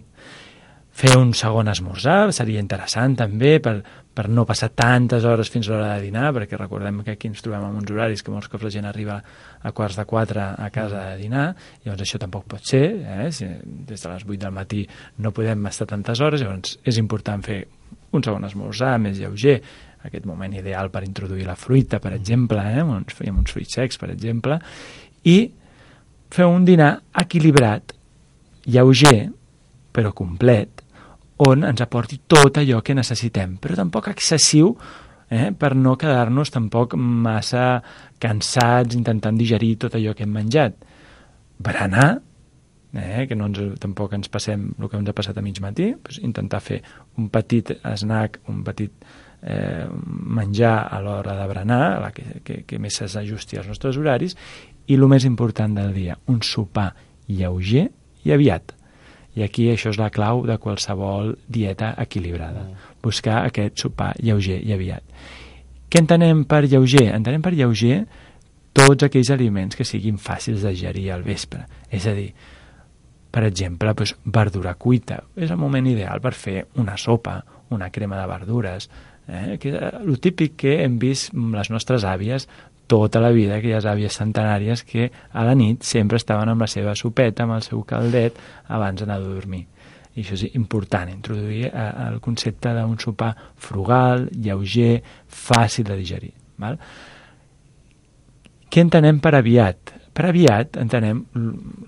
Fer un segon esmorzar seria interessant també per, per no passar tantes hores fins a l'hora de dinar, perquè recordem que aquí ens trobem en uns horaris que molts cops la gent arriba a quarts de quatre a casa de dinar, llavors això tampoc pot ser, eh? Si des de les vuit del matí no podem estar tantes hores, llavors és important fer un segon esmorzar més lleuger, aquest moment ideal per introduir la fruita, per exemple, eh? uns, fèiem uns fruits secs, per exemple, i fer un dinar equilibrat, lleuger, però complet, on ens aporti tot allò que necessitem, però tampoc excessiu, eh, per no quedar-nos tampoc massa cansats intentant digerir tot allò que hem menjat. Berenar, eh, que no ens, tampoc ens passem el que ens ha passat a mig matí, doncs intentar fer un petit snack, un petit eh, menjar a l'hora de berenar, la que, que, que més s'ajusti als nostres horaris, i el més important del dia, un sopar lleuger i aviat. I aquí això és la clau de qualsevol dieta equilibrada. Buscar aquest sopar lleuger i aviat. Què entenem per lleuger? Entenem per lleuger tots aquells aliments que siguin fàcils de digerir al vespre. És a dir, per exemple, doncs, verdura cuita. És el moment ideal per fer una sopa, una crema de verdures, eh? Que és el típic que hem vist les nostres àvies tota la vida, aquelles àvies centenàries que a la nit sempre estaven amb la seva sopeta, amb el seu caldet, abans d'anar a dormir. I això és important, introduir el concepte d'un sopar frugal, lleuger, fàcil de digerir. Val? Què entenem per aviat? Per aviat entenem,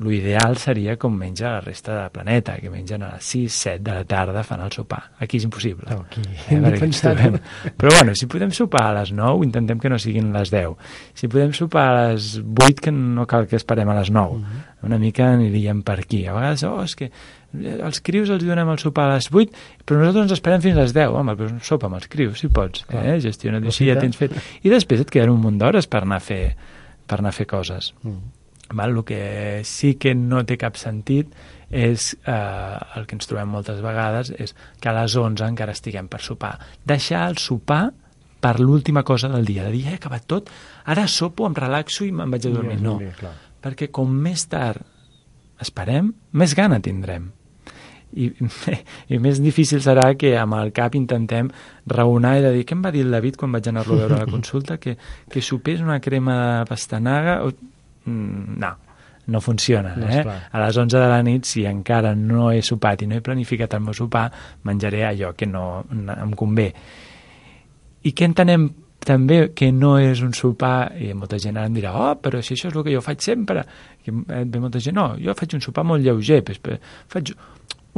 l'ideal seria com menja la resta del planeta, que mengen a les sis, set de la tarda fan el sopar. Aquí és impossible. No, aquí eh, trobem... Però bueno, si podem sopar a les nou, intentem que no siguin les deu. Si podem sopar a les vuit, que no cal que esperem a les nou. Uh-huh. Una mica aniríem per aquí. A vegades, oh, és que els crius els donem el sopar a les vuit, però nosaltres ens esperem fins a les deu. Home, però sopa amb els crius, si pots. Eh? Gestiona't així, ja tens fet. I després et queden un munt d'hores per anar a fer per anar a fer coses. Mm. Val? El que sí que no té cap sentit és, eh, el que ens trobem moltes vegades, és que a les onze encara estiguem per sopar. Deixar el sopar per l'última cosa del dia, de dir, he acabat tot, ara sopo, em relaxo i me'n vaig a dormir. No, perquè com més tard esperem, més gana tindrem. I, i més difícil serà que amb el cap intentem raonar i de dir, què em va dir el David quan vaig anar-lo a veure a la consulta? Que, que sopés una crema de pastanaga? O... No, no funciona. No, eh? A les onze de la nit, si encara no he sopat i no he planificat el meu sopar, menjaré allò que no em convé. I què entenem també que no és un sopar, i molta gent ara em dirà, oh, però si això és el que jo faig sempre. I ve molta gent, no, jo faig un sopar molt lleuger, faig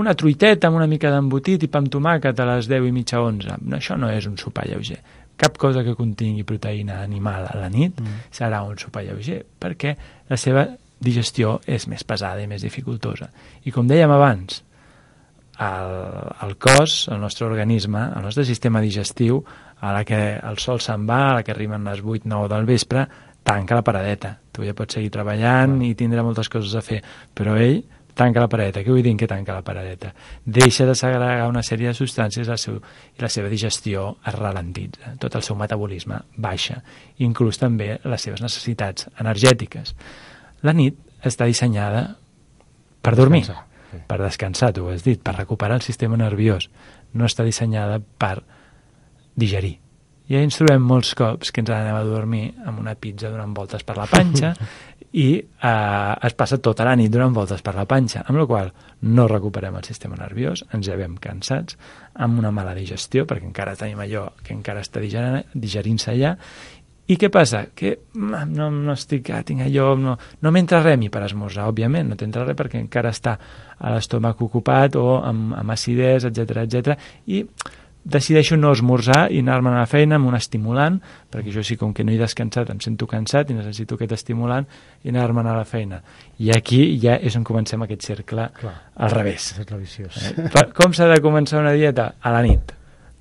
una truiteta amb una mica d'embotit i pa amb tomàquet a les deu i mitja, onze. No, això no és un sopar lleuger. Cap cosa que contingui proteïna animal a la nit mm. serà un sopar lleuger, perquè la seva digestió és més pesada i més dificultosa. I com dèiem abans, el, el cos, el nostre organisme, el nostre sistema digestiu, a la que el sol se'n va, a la que arriben les vuit nou del vespre, tanca la paradeta. Tu ja pots seguir treballant mm. i tindrà moltes coses a fer, però ell tanca la paradeta. Què vull dir que tanca la paradeta? Deixa de segregar una sèrie de substàncies seu, i la seva digestió es ralentitza. Tot el seu metabolisme baixa, inclús també les seves necessitats energètiques. La nit està dissenyada per dormir, descansar. Sí. Per descansar, tu ho has dit, per recuperar el sistema nerviós. No està dissenyada per digerir. I ens trobem molts cops que ens anem a dormir amb una pizza donant voltes per la panxa i eh, es passa tota la nit donant voltes per la panxa, amb la qual no recuperem el sistema nerviós, ens llevem cansats, amb una mala digestió, perquè encara tenim allò que encara està digerint-se allà. I què passa? Que no, no estic, ah, tinc allò, no, no m'entra res per esmorzar, òbviament, no t'entra res perquè encara està a l'estómac ocupat o amb, amb acidesa, etcètera, etcètera, i decideixo no esmorzar i anar-me'n a la feina amb un estimulant, perquè jo sí, com que no he descansat, em sento cansat i necessito aquest estimulant i anar-me'n a la feina. I aquí ja és on comencem aquest cercle. Clar, al revés. Eh? Com s'ha de començar una dieta? A la nit.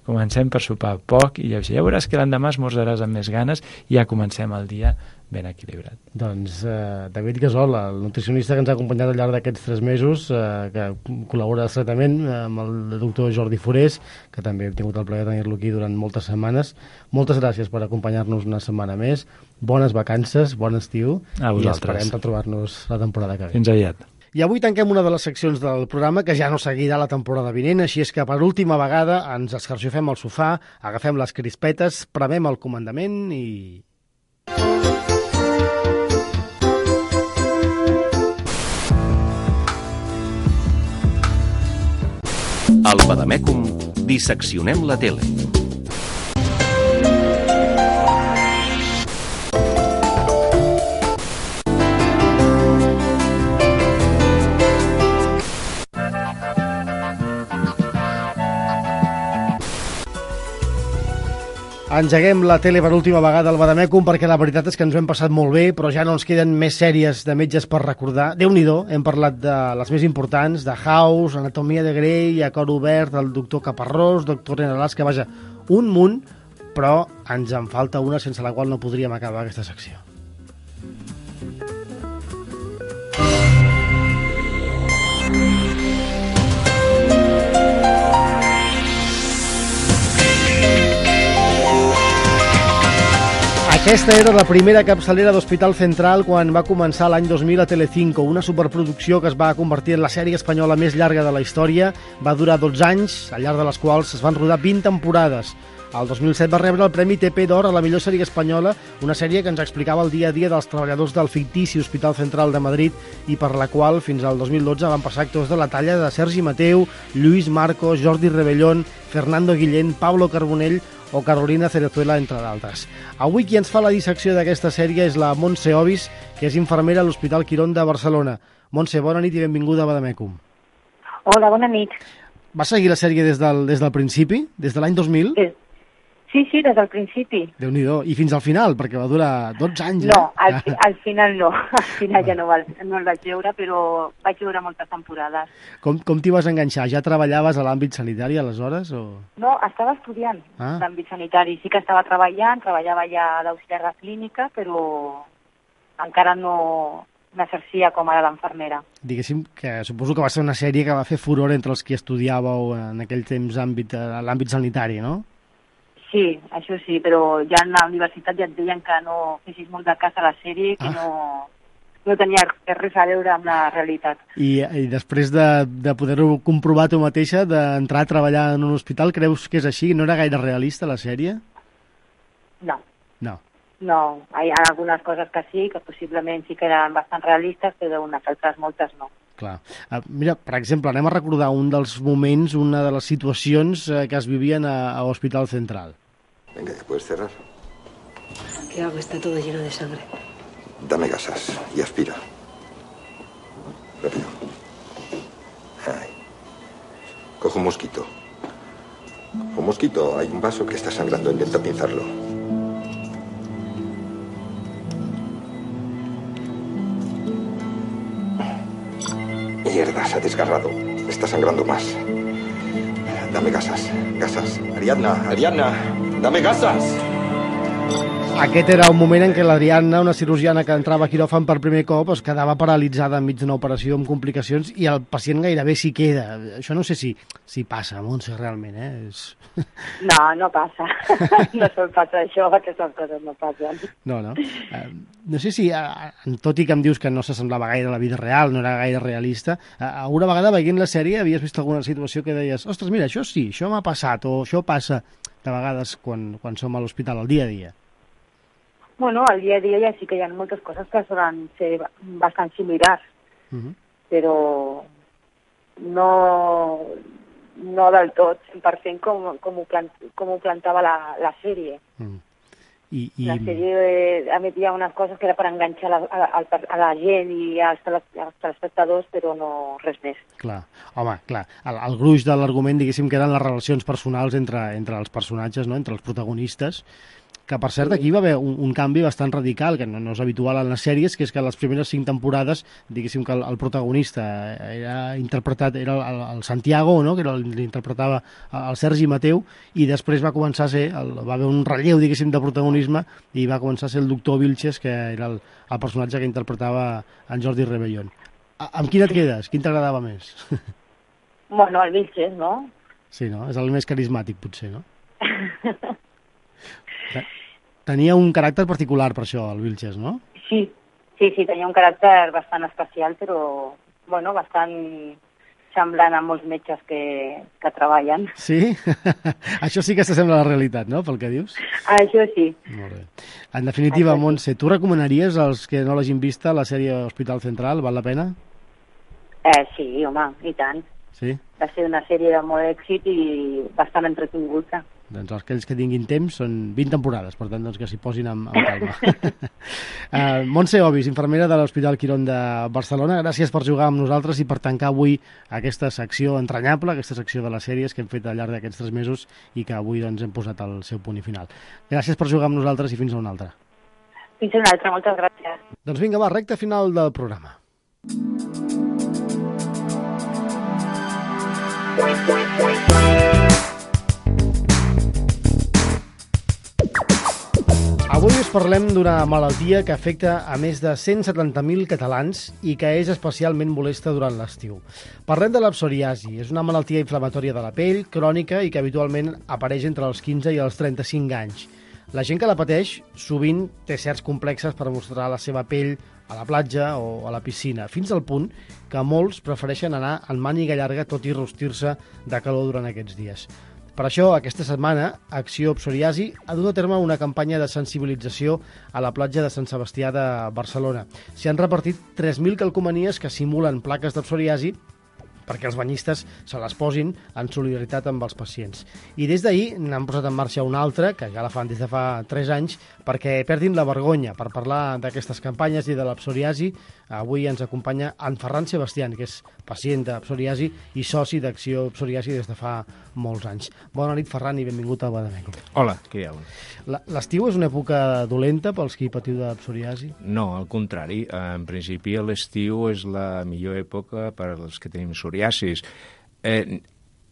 Comencem per sopar poc i ja veuràs que l'endemà esmorzaràs amb més ganes i ja comencem el dia ben equilibrat. Doncs eh, David Gasol, el nutricionista que ens ha acompanyat al llarg d'aquests tres mesos, eh, que col·labora estretament amb el doctor Jordi Forés, que també hem tingut el plaer de tenir-lo aquí durant moltes setmanes. Moltes gràcies per acompanyar-nos una setmana més. Bones vacances, bon estiu. A vosaltres. I esperem retrobar-nos la temporada que ve. Fins aviat. I avui tanquem una de les seccions del programa que ja no seguirà la temporada vinent, així és que per última vegada ens escarxofem al sofà, agafem les crispetes, premem el comandament i... Al Badamècum disseccionem la tele. Engeguem la tele per última vegada al Badamècum perquè la veritat és que ens ho hem passat molt bé, però ja no ens queden més sèries de metges per recordar. Déu-n'hi-do, hem parlat de les més importants, de House, Anatomia de Grey, A Cor Obert, el doctor Caparrós, doctor Renalaska, vaja, un munt, però ens en falta una sense la qual no podríem acabar aquesta secció. Aquesta era la primera capçalera d'Hospital Central quan va començar l'any dos mil a Telecinco, una superproducció que es va convertir en la sèrie espanyola més llarga de la història. Va durar dotze anys, al llarg de les quals es van rodar vint temporades. El dos mil set va rebre el Premi T P d'Or a la millor sèrie espanyola, una sèrie que ens explicava el dia a dia dels treballadors del fictici Hospital Central de Madrid i per la qual fins al dos mil dotze van passar actors de la talla de Sergi Mateu, Lluís Marcos, Jordi Rebellón, Fernando Guillén, Pablo Carbonell o Carolina Cerezuela, entre d'altres. Avui qui ens fa la dissecció d'aquesta sèrie és la Montse Ovis, que és infermera a l'Hospital Quirón de Barcelona. Montse, bona nit i benvinguda a Badamècum. Hola, bona nit. Va seguir la sèrie des del, des del principi, des de l'any dos mil? Sí, sí, sí des del principi. Déu-n'hi-do. I fins al final, perquè va durar dotze anys. No, eh? al, fi, al final no. Al final ja no, val, no el vaig veure, però vaig veure moltes temporades. Com, com t'hi vas enganxar? Ja treballaves a l'àmbit sanitari aleshores? O... No, estava estudiant ah. l'àmbit sanitari. Sí que estava treballant, treballava ja d'auxiliar de clínica, però encara no, n'exercia com ara l'enfermera. Diguéssim que suposo que va ser una sèrie que va fer furor entre els que estudiàveu en aquell temps àmbit, l'àmbit sanitari, no? Sí, això sí, però ja a la universitat ja et deien que no fessis molt de cas a la sèrie, que ah. no, no tenia res a veure amb la realitat. I, i després de, de poder-ho comprovar tu mateixa, d'entrar a treballar en un hospital, creus que és així? No era gaire realista la sèrie? No. No. No, hi ha algunes coses que sí, que possiblement sí que eren bastant realistes, però unes altres moltes no. Clar. Uh, mira, per exemple, anem a recordar un dels moments, una de les situacions uh, que es vivien a, a Hospital Central. Venga, ¿ya puedes cerrar? ¿Qué hago? Está todo lleno de sangre. Dame gasas y aspira. Rápido. Ahí. Coge un mosquito. Un mosquito. Hay un vaso que está sangrando. Intenta pinzarlo. Mierda, se ha desgarrado. Está sangrando más. Dame gasas. Gasas. Ariadna, Ariadna, dame gasas. Aquest era un moment en què l'Adriana, una cirurgiana que entrava a quiròfan per primer cop, es quedava paralitzada enmig d'una operació amb complicacions i el pacient gairebé s'hi queda. Això no sé si, si passa, Montse, realment, eh? És... No, no passa. No sol passar això, aquestes coses no passen. No, no. Uh, no sé si, uh, tot i que em dius que no s'assemblava gaire a la vida real, no era gaire realista, uh, una vegada veient la sèrie havies vist alguna situació que deies, ostres, mira, això sí, això m'ha passat, o això passa de vegades quan, quan som a l'hospital, al dia a dia. Bueno, al dia a dia ja sí que hi ha moltes coses que solen ser bastant similars, uh-huh. però no, no del tot, cent per cent com, com, ho, plant, com ho plantava la, la sèrie. Uh-huh. I, i... La sèrie emetia unes coses que era per enganxar la, a, a, a la gent i als, als telespectadors, però no res més. Clar, home, clar. El, el gruix de l'argument, diguéssim, que eren les relacions personals entre, entre els personatges, no? Entre els protagonistes, que per cert aquí va haver un, un canvi bastant radical, que no, no és habitual en les sèries, que és que les primeres cinc temporades, diguéssim que el, el protagonista era interpretat, era el, el Santiago, no? Que l'interpretava el Sergi Mateu, i després va començar a ser, el, va haver un relleu, diguéssim, de protagonisme, i va començar a ser el doctor Vilches, que era el, el personatge que interpretava en Jordi Rebellón. A, amb quin et quedes? Quin t'agradava més? Bueno, el Vilches, no? Sí, no? És el més carismàtic, potser, no? Tenia un caràcter particular per això, el Vilches, no? Sí, sí, sí, tenia un caràcter bastant especial, però, bueno, bastant semblant a molts metges que, que treballen. Sí? Això sí que s'assembla a la realitat, no?, pel que dius? Això sí. Molt bé. En definitiva, Això Montse, sí. Tu recomanaries als que no l'hagin vista la sèrie Hospital Central? Val la pena? Eh, sí, home, i tant. Sí? Va ser una sèrie de molt èxit i bastant entretinguda. Doncs aquells que tinguin temps són vint temporades, per tant, doncs, que s'hi posin amb, amb calma. uh, Montse Obis, infermera de l'Hospital Quirón de Barcelona, gràcies per jugar amb nosaltres i per tancar avui aquesta secció entranyable, aquesta secció de les sèries que hem fet al llarg d'aquests tres mesos i que avui doncs, hem posat al seu punt i final. Gràcies per jugar amb nosaltres i fins a una altra. Fins a una altra, moltes gràcies. Doncs vinga, va, recta final del programa. Avui us parlem d'una malaltia que afecta a més de cent setanta mil catalans i que és especialment molesta durant l'estiu. Parlem de la psoriasi. És una malaltia inflamatòria de la pell, crònica i que habitualment apareix entre els quinze i els trenta-cinc anys. La gent que la pateix sovint té certs complexes per mostrar la seva pell a la platja o a la piscina, fins al punt que molts prefereixen anar en màniga llarga tot i rostir-se de calor durant aquests dies. Per això, aquesta setmana, Acció Psoriasi ha dut a terme una campanya de sensibilització a la platja de Sant Sebastià de Barcelona. S'hi han repartit tres mil calcomanies que simulen plaques de psoriasi perquè els banyistes se les posin en solidaritat amb els pacients. I des d'ahir n'han posat en marxa una altra, que ja la fan des de fa tres anys, perquè perdin la vergonya. Per parlar d'aquestes campanyes i de la psoriasi, avui ens acompanya en Ferran Sebastián, que és pacient de psoriasi i soci d'Acció Psoriasi des de fa molts anys. Bona nit, Ferran, i benvingut a Badamecum. Hola, què hi ha? L'estiu és una època dolenta pels qui patiu de psoriasi? No, al contrari. En principi, l'estiu és la millor època per als que tenim psoriasis. Eh,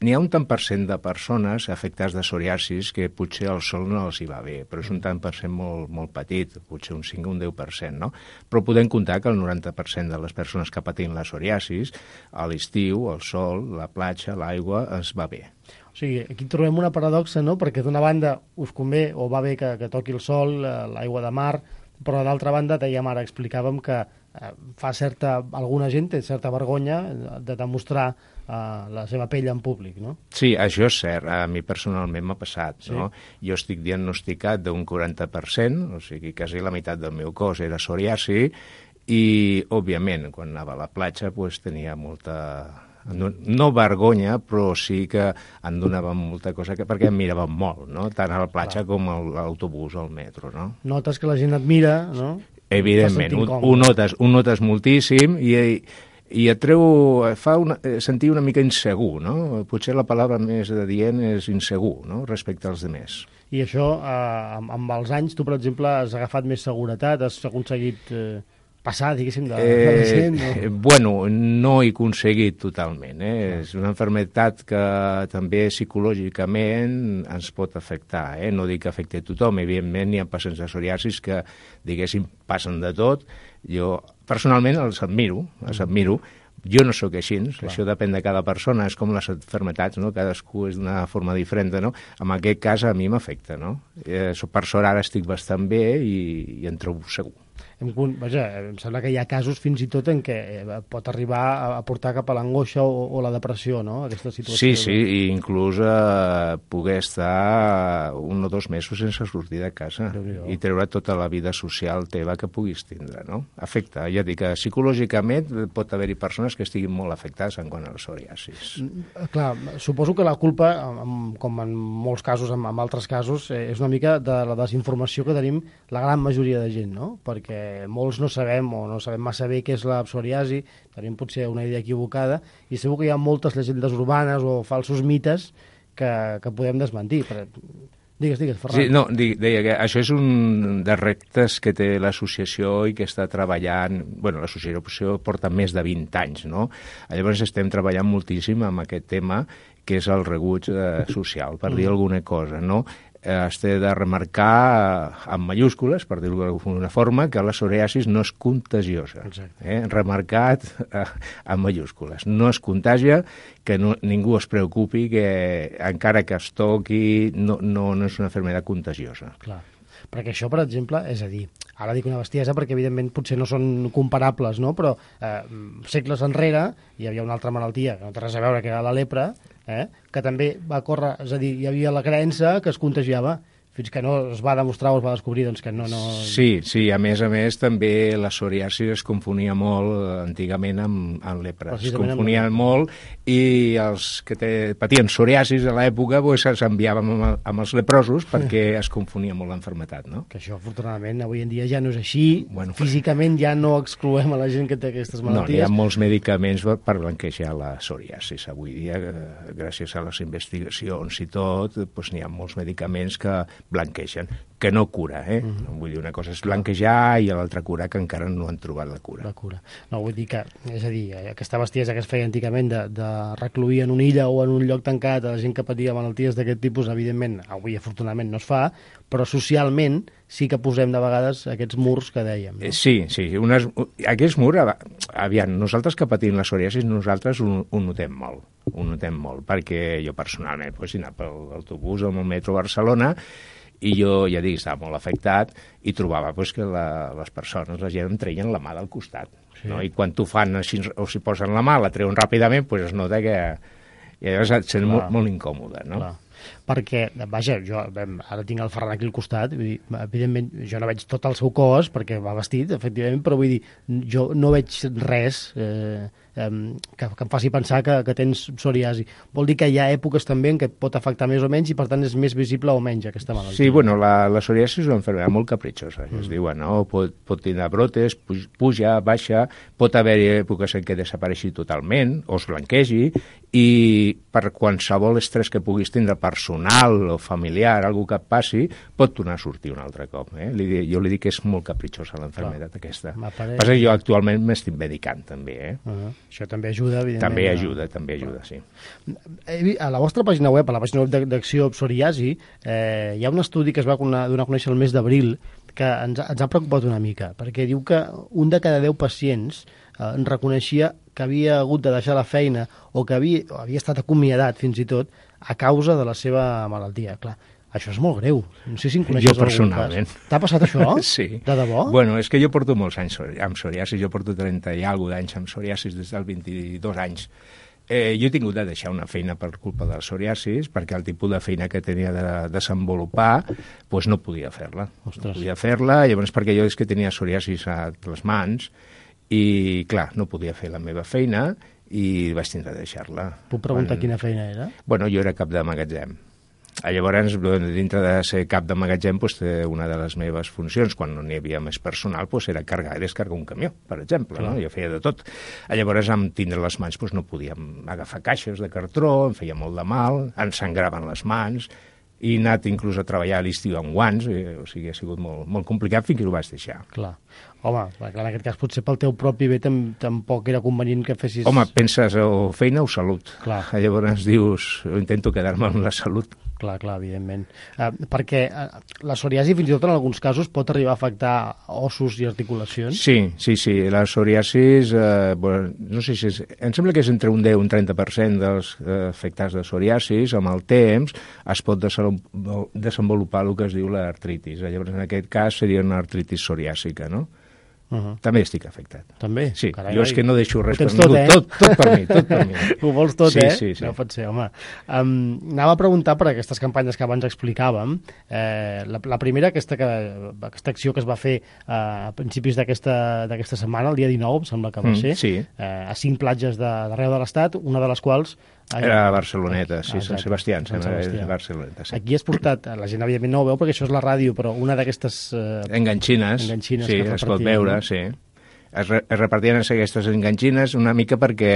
n'hi ha un tant per cent de persones afectades de psoriasis que potser el sol no els hi va bé, però és un tant per cent molt, molt petit, potser un cinc o un deu per cent, no? Però podem comptar que el noranta per cent de les persones que patim la psoriasis, a l'estiu, el sol, la platja, l'aigua, es va bé. O sigui, aquí trobem una paradoxa, no?, perquè d'una banda us convé o va bé que, que toqui el sol, l'aigua de mar, però d'altra banda, dèiem ara, explicàvem que eh, fa certa, alguna gent té certa vergonya de demostrar eh, la seva pell en públic, no? Sí, això és cert. A mi personalment m'ha passat, sí. no? Jo estic diagnosticat d'un quaranta per cent, o sigui, quasi la meitat del meu cos era psoriasi, i, òbviament, quan anava a la platja, pues, tenia molta... no vergonya, però sí que em donava molta cosa, que, perquè em miraven molt, no? Tant a la platja Clar. com a l'autobús o al metro, no? Notes que la gent et mira, no? Evidentment, ho, ho, notes, ho notes moltíssim i, i et treu, fa una, sentir una mica insegur, no? Potser la paraula més adient és insegur, no?, respecte als demés. I això, eh, amb, amb els anys, tu, per exemple, has agafat més seguretat, has aconseguit... Eh... passar, diguéssim, de, eh, de la gent? No? Bueno, no he aconseguit totalment. Eh? No. És una malaltia que també psicològicament ens pot afectar. Eh? No dic que afecti a tothom, evidentment hi ha pacients de psoriasis que, diguéssim, passen de tot. Jo, personalment, els admiro, els admiro. Jo no sóc així, Clar. Això depèn de cada persona, és com les malalties, no? Cadascú és d'una forma diferent, no? En aquest cas a mi m'afecta, no? Eh, per sort ara estic bastant bé i, i en trobo segur. Em, vaja, em sembla que hi ha casos fins i tot en què pot arribar a portar cap a l'angoixa o, o la depressió, no?, aquesta situació. Sí, sí, i inclús eh, poder estar un o dos mesos sense sortir de casa i treure tota la vida social teva que puguis tindre, no? Afecta, ja dic que psicològicament pot haver-hi persones que estiguin molt afectades en quant a la psoriasis. Clar, suposo que la culpa, com en molts casos, en altres casos, és una mica de la desinformació que tenim la gran majoria de gent, no?, perquè molts no sabem o no sabem massa bé què és la psoriasi, tenim potser una idea equivocada, i segur que hi ha moltes llegendes urbanes o falsos mites que, que podem desmentir. Per... Digues, digues, Ferran. Sí, no, deia que això és un dels reptes que té l'associació i que està treballant... Bueno, l'associació porta més de vint anys, no? Llavors estem treballant moltíssim amb aquest tema, que és el rebuig eh, social, per dir alguna cosa, no? Es té de remarcar amb mayúscules, per dir-ho d'alguna forma, que la psoriasis no és contagiosa. Eh? Remarcat eh, amb mayúscules. No es contagia, que no, ningú es preocupi, que encara que es toqui, no, no, no és una malaltia contagiosa. Clar. Perquè això, per exemple, és a dir, ara dic una bestiesa perquè evidentment potser no són comparables, no? Però eh, segles enrere hi havia una altra malaltia que no té res a veure, que era la lepra, eh? Que també va córrer, és a dir, hi havia la creença que es contagiava, fins que no es va demostrar o es va descobrir doncs, que no, no... Sí, sí, a més a més també la psoriasi es confonia molt antigament amb, amb lepra. Es confonia amb... molt i els que te, patien psoriasis a l'època pues, s'enviaven amb, amb els leprosos perquè es confonia molt l'enfermetat, no? Que això, afortunadament, avui en dia ja no és així. Bueno, físicament ja no excloem a la gent que té aquestes malalties. No, hi ha molts medicaments per blanquejar la psoriasis. Avui dia, gràcies a les investigacions i tot, pues, n'hi ha molts medicaments que blanquegen, que no cura, eh? Mm. Vull dir, una cosa és blanquejar i l'altra cura que encara no han trobat la cura. La cura. No, vull dir que, és a dir, aquesta bestiesa que es feia antigament de, de recluir en una illa o en un lloc tancat a la gent que patia malalties d'aquest tipus, evidentment, avui afortunadament no es fa, però socialment sí que posem de vegades aquests murs que dèiem. No? Sí, sí, unes, aquests murs, aviam, nosaltres que patim la psoriasis, nosaltres ho, ho notem molt, ho notem molt, perquè jo personalment, pues, he anat per l'autobús o amb el metro a Barcelona, i jo, ja dic, estava molt afectat i trobava pues, que la, les persones, la gent em treien la mà del costat. Sí. No? I quan t'ho fan així, o si posen la mà, la treuen ràpidament, pues, es nota que i llavors et sents molt, molt incòmode, no? Clar. Perquè, vaja, jo ara tinc el Ferran aquí al costat, vull dir, evidentment jo no veig tot el seu cos, perquè va vestit, efectivament, però vull dir, jo no veig res eh, eh, que, que em faci pensar que, que tens psoriasi. Vol dir que hi ha èpoques també en què pot afectar més o menys i per tant és més visible o menys aquesta malaltia. Sí, bueno, la, la psoriasi és una malaltia molt capritxosa, mm. es diuen, no? Pot, pot tenir brotes, puja, baixa, pot haver èpoques en què desapareixi totalment o es blanquegi i per qualsevol estrès que puguis tindre per personal o familiar, algú que et passi, pot tornar a sortir un altre cop. Eh? Li, jo li dic que és molt caprichosa l'enfermedad aquesta. M'apareix. Passa que jo actualment m'estic medicant també. Eh? Uh-huh. Això també ajuda, evidentment. També ajuda, també ajuda, sí. A la vostra pàgina web, a la pàgina web d'Acció Psoriasi, eh, hi ha un estudi que es va donar a conèixer el mes d'abril que ens, ens ha preocupat una mica, perquè diu que un de cada deu pacients eh, reconeixia que havia hagut de deixar la feina o que havia, o havia estat acomiadat fins i tot a causa de la seva malaltia. Clar, això és molt greu. No sé si en coneixes jo personalment. Cas. T'ha passat això? Sí. De debò? Bueno, és que jo porto molts anys amb psoriasis, jo porto trenta i alguna d'anys amb psoriasis des dels vint-i-dos anys. Eh, jo he tingut de deixar una feina per culpa del psoriasis, perquè el tipus de feina que tenia de desenvolupar pues no podia fer-la. No podia fer-la, llavors perquè jo és que tenia psoriasis a les mans, i, clar, no podia fer la meva feina i vaig tindre de deixar-la. Puc preguntar Quan... quina feina era? Bueno, jo era cap de magatzem. Llavors, dintre de ser cap de magatzem, pues, una de les meves funcions, quan no n'hi havia més personal, pues, era carregar i descarregar un camió, per exemple. No? Jo feia de tot. Llavors, amb tindre les mans, pues, no podíem agafar caixes de cartró, em feia molt de mal, em sangraven les mans, i he anat inclús a treballar a l'estiu amb guants, eh, o sigui, ha sigut molt, molt complicat fins que ho vaig deixar. Clar. Home, clar, en aquest cas potser pel teu propi bé tam tampoc era convenient que fessis... Home, penses o feina o salut. Clar. Llavors dius, intento quedar-me amb la salut. Clar, clar, evidentment. Uh, perquè uh, la psoriasi fins i tot en alguns casos pot arribar a afectar ossos i articulacions? Sí, sí, sí. La psoriasis, eh, bueno, no sé si és... Em sembla que és entre un deu i un trenta per cent dels eh, afectats de psoriasis. Amb el temps es pot desenvolupar el que es diu l'artritis. Llavors, en aquest cas seria una artritis psoriàsica, no? Uh-huh. També estic afectat. També? Sí, Carai, jo és que no deixo res per tot, ningú. Eh? Tot, tot per mi, tot per mi. Ho vols tot, sí, eh? Sí, sí. No pot ser, home. Um, anava a preguntar per aquestes campanyes que abans explicàvem. Eh, la, la primera, aquesta, que, aquesta acció que es va fer uh, a principis d'aquesta setmana, el dia dinou, em sembla que va ser, mm, sí. eh, a cinc platges d'arreu de, de l'Estat, una de les quals... Era a Barceloneta, sí, Sant Sebastià, Sant Sebastià. Barceloneta, sí. Aquí has portat, la gent evidentment no ho veu perquè això és la ràdio, però una d'aquestes... Eh, enganxines, enganxines sí, es pot veure, no? Sí. Es, re es repartien aquestes enganxines una mica perquè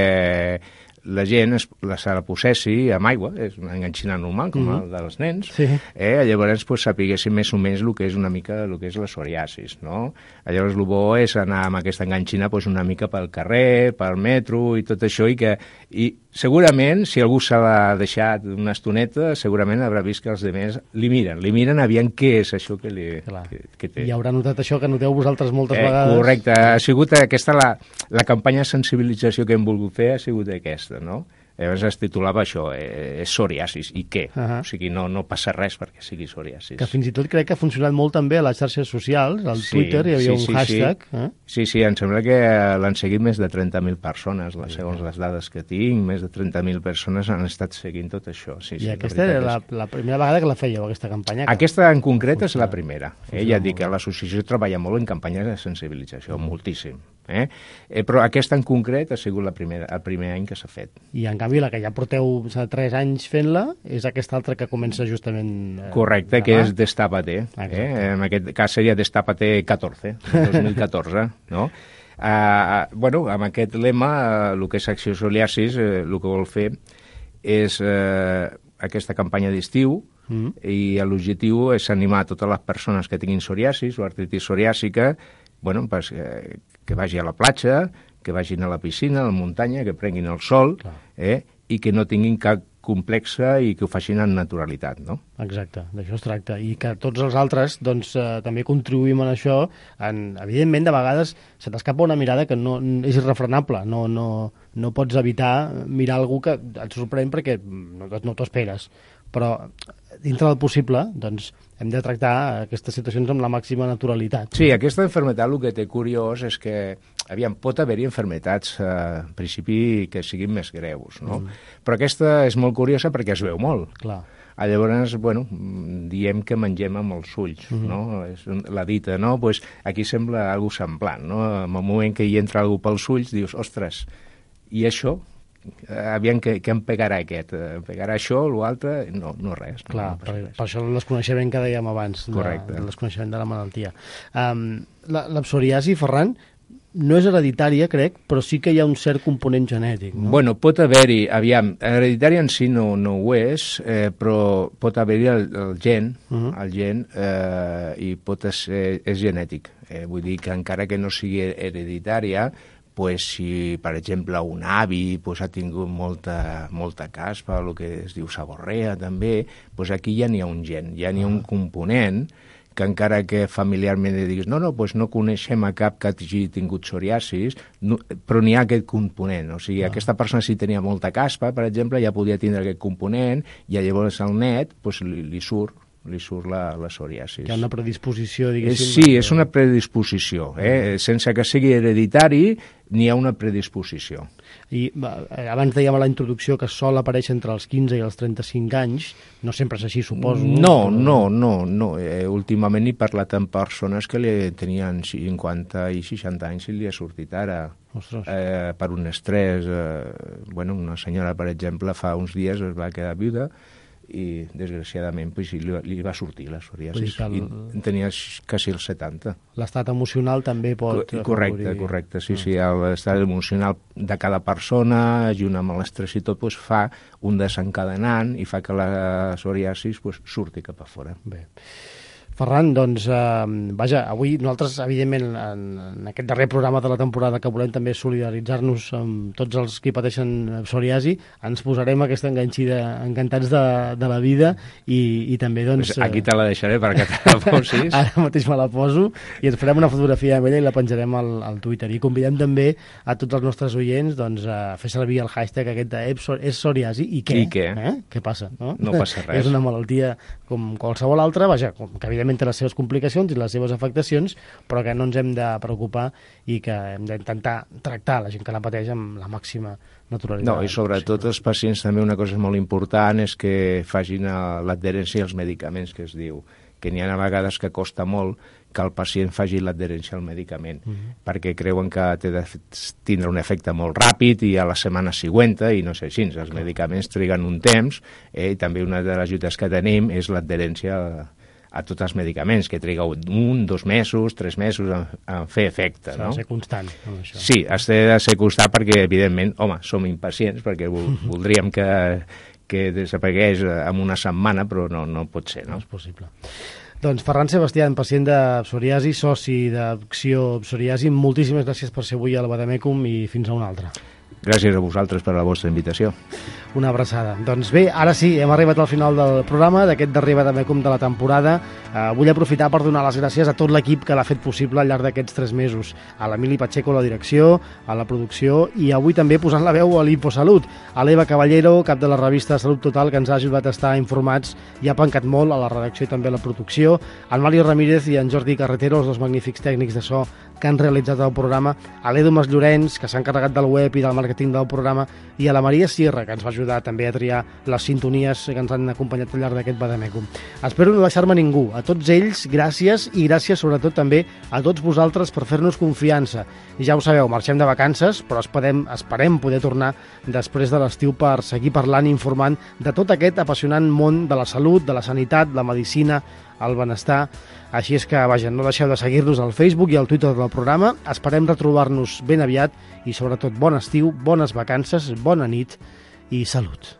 la gent es, la, se la possessi amb aigua, és una enganxina normal, com mm-hmm. el dels nens, sí. eh? Llavors pues, sapiguessin més o menys el que és una mica el que és la psoriasis, no? Llavors el bo és anar amb aquesta enganxina pues, una mica pel carrer, pel metro i tot això, i que i segurament, si algú se l'ha deixat una estoneta, segurament haurà vist que els altres li miren, li miren aviam què és això que, li, que, que té. I haurà notat això que noteu vosaltres moltes eh, vegades. Correcte, ha sigut aquesta la, la campanya de sensibilització que hem volgut fer, ha sigut aquesta, no? Llavors es titulava això, eh, és psoriasis, i què? Uh -huh. O sigui, no, no passa res perquè sigui psoriasis. Que fins i tot crec que ha funcionat molt també a les xarxes socials, al sí, Twitter hi havia sí, sí, un hashtag. Sí. Eh? sí, sí, em sembla que l'han seguit més de trenta mil persones, segons les dades que tinc, més de trenta mil persones han estat seguint tot això. Sí, I sí, aquesta era la, la primera vegada que la fèieu, aquesta campanya? Que... Aquesta en concret és la primera. Eh? Ja et dic que l'associació treballa molt en campanyes de sensibilització, mm. moltíssim. Eh? Eh, però aquesta en concret ha sigut la primera, el primer any que s'ha fet. I en canvi la que ja porteu tres anys fent-la és aquesta altra que comença justament... Eh, correcte, que és Destápate. Eh? En aquest cas seria Destápate catorze, dos mil catorze, no? Uh, bueno, amb aquest lema, el que és Acció Psoriasis, eh, el que vol fer és eh, aquesta campanya d'estiu, mm. i l'objectiu és animar a totes les persones que tinguin psoriasis o artritis psoriàsica, bueno, pues, eh, que vagi a la platja, que vagin a la piscina, a la muntanya, que prenguin el sol, eh, i que no tinguin cap complexa i que ho facin en naturalitat, no? Exacte, d'això es tracta. I que tots els altres doncs, eh, també contribuïm en això. En, evidentment, de vegades se t'escapa una mirada que no, és irrefrenable. No, no, no pots evitar mirar algú que et sorprèn perquè no, no t'ho esperes. Però dintre del possible, doncs, hem de tractar aquestes situacions amb la màxima naturalitat. Sí, aquesta malaltia el que té curiós és que aviam, pot haver-hi malalties eh, en principi que siguin més greus, no? Mm. Però aquesta és molt curiosa perquè es veu molt. Clar. Llavors, bueno, diem que mengem amb els ulls, mm-hmm. no? És la dita, no? Pues aquí sembla algo semblant, no? En el moment que hi entra algú pels ulls, dius, ostres, i això? Aviam què, què em pegarà aquest, em pegarà això, l'altre, no, no res. Clar, no, no per, res. per això el desconeixement que dèiem abans, correcte, de, el desconeixement de la malaltia. Um, la, la psoriasi, Ferran, no és hereditària, crec, però sí que hi ha un cert component genètic, no? Bueno, pot haver-hi, aviam, hereditària en si no, no ho és, eh, però pot haver-hi el, el gen, uh-huh. el gen, eh, i pot ser, és genètic. Eh, vull dir que encara que no sigui hereditària, pues, si, per exemple, un avi pues, ha tingut molta, molta caspa, el que es diu sagorrea també, pues aquí ja n'hi ha un gen, ja n'hi ha un component que encara que familiarment diguis no, no, pues no coneixem a cap que hagi tingut psoriasis, no, però n'hi ha aquest component. O sigui, ah. aquesta persona si tenia molta caspa, per exemple, ja podia tindre aquest component i llavors al net pues, li, li surt li surt la, la psoriasis. Hi ha una predisposició, diguéssim. Sí, és una predisposició. Eh? Sense que sigui hereditari, n'hi ha una predisposició. I abans dèiem a la introducció que sol aparèixer entre els quinze i els trenta-cinc anys. No sempre és així, suposo. No, no, no. no. Eh, últimament he parlat amb persones que li tenien cinquanta i seixanta anys i li ha sortit ara. Eh, per un estrès. Eh, bueno, una senyora, per exemple, fa uns dies es va quedar viuda i desgraciadament pues, li, li va sortir la psoriasis el... i tenia quasi els setanta. L'estat emocional també pot... Co correcte, afavorir... correcte, sí, sí, l'estat emocional de cada persona, junt amb l'estrès i tot, pues, fa un desencadenant i fa que la psoriasis pues, surti cap a fora. Bé. Ferran, doncs, eh, vaja, avui nosaltres, evidentment, en, en aquest darrer programa de la temporada que volem també solidaritzar-nos amb tots els que pateixen psoriasi, ens posarem aquesta enganxida encantats de, de la vida i, i també, doncs... Pues aquí te la deixaré perquè te la posis. Ara mateix me la poso i ens farem una fotografia amb ella i la penjarem al, al Twitter. I convidem també a tots els nostres oients doncs, a fer servir el hashtag aquest de és psoriasi i què? I què? Eh? Què passa? No? No passa res. És una malaltia com qualsevol altra, vaja, com que evidentment té les seves complicacions i les seves afectacions, però que no ens hem de preocupar i que hem d'intentar tractar la gent que la pateix amb la màxima naturalitat. No, i sobretot els pacients també una cosa molt important és que facin l'adherència als medicaments, que es diu, que n'hi ha a vegades que costa molt que el pacient faci l'adherència al medicament, uh -huh. perquè creuen que té de tindre un efecte molt ràpid i a la setmana següent, i no sé així, els Clar. medicaments triguen un temps, eh, i també una de les lluites que tenim és l'adherència a, a tots els medicaments, que triga un, dos mesos, tres mesos a, a fer efecte. S'ha no? de ser constant amb això. Sí, has de ser constant perquè, evidentment, home, som impacients, perquè voldríem que, que desaparegués en una setmana, però no, no pot ser, no? No és possible. Doncs Ferran Sebastián, pacient de psoriasi, soci d'Acció Psoriasi, moltíssimes gràcies per ser avui al Bademecum i fins a una altra. Gràcies a vosaltres per la vostra invitació. Una abraçada. Doncs bé, ara sí, hem arribat al final del programa, d'aquest darrer Bademecum de la temporada. Eh, vull aprofitar per donar les gràcies a tot l'equip que l'ha fet possible al llarg d'aquests tres mesos. A l'Emili Pacheco a la direcció, a la producció i avui també posant la veu a l'Infosalut. A l'Eva Caballero, cap de la revista Salut Total, que ens ha ajudat a estar informats i ha pencat molt a la redacció i també a la producció. En Mario Ramírez i en Jordi Carretero, els dos magnífics tècnics de so que han realitzat el programa, a l'Edu Mas Llorenç, que s'ha encarregat del web i del màrqueting del programa, i a la Maria Sierra, que ens va ajudar també a triar les sintonies que ens han acompanyat al llarg d'aquest Bademecum. Espero no deixar-me ningú. A tots ells, gràcies, i gràcies sobretot també a tots vosaltres per fer-nos confiança. I ja ho sabeu, marxem de vacances, però esperem, esperem poder tornar després de l'estiu per seguir parlant i informant de tot aquest apassionant món de la salut, de la sanitat, la medicina, el benestar. Així és que, vaja, no deixeu de seguir-nos al Facebook i al Twitter del programa. Esperem retrobar-nos ben aviat i, sobretot, bon estiu, bones vacances, bona nit i salut.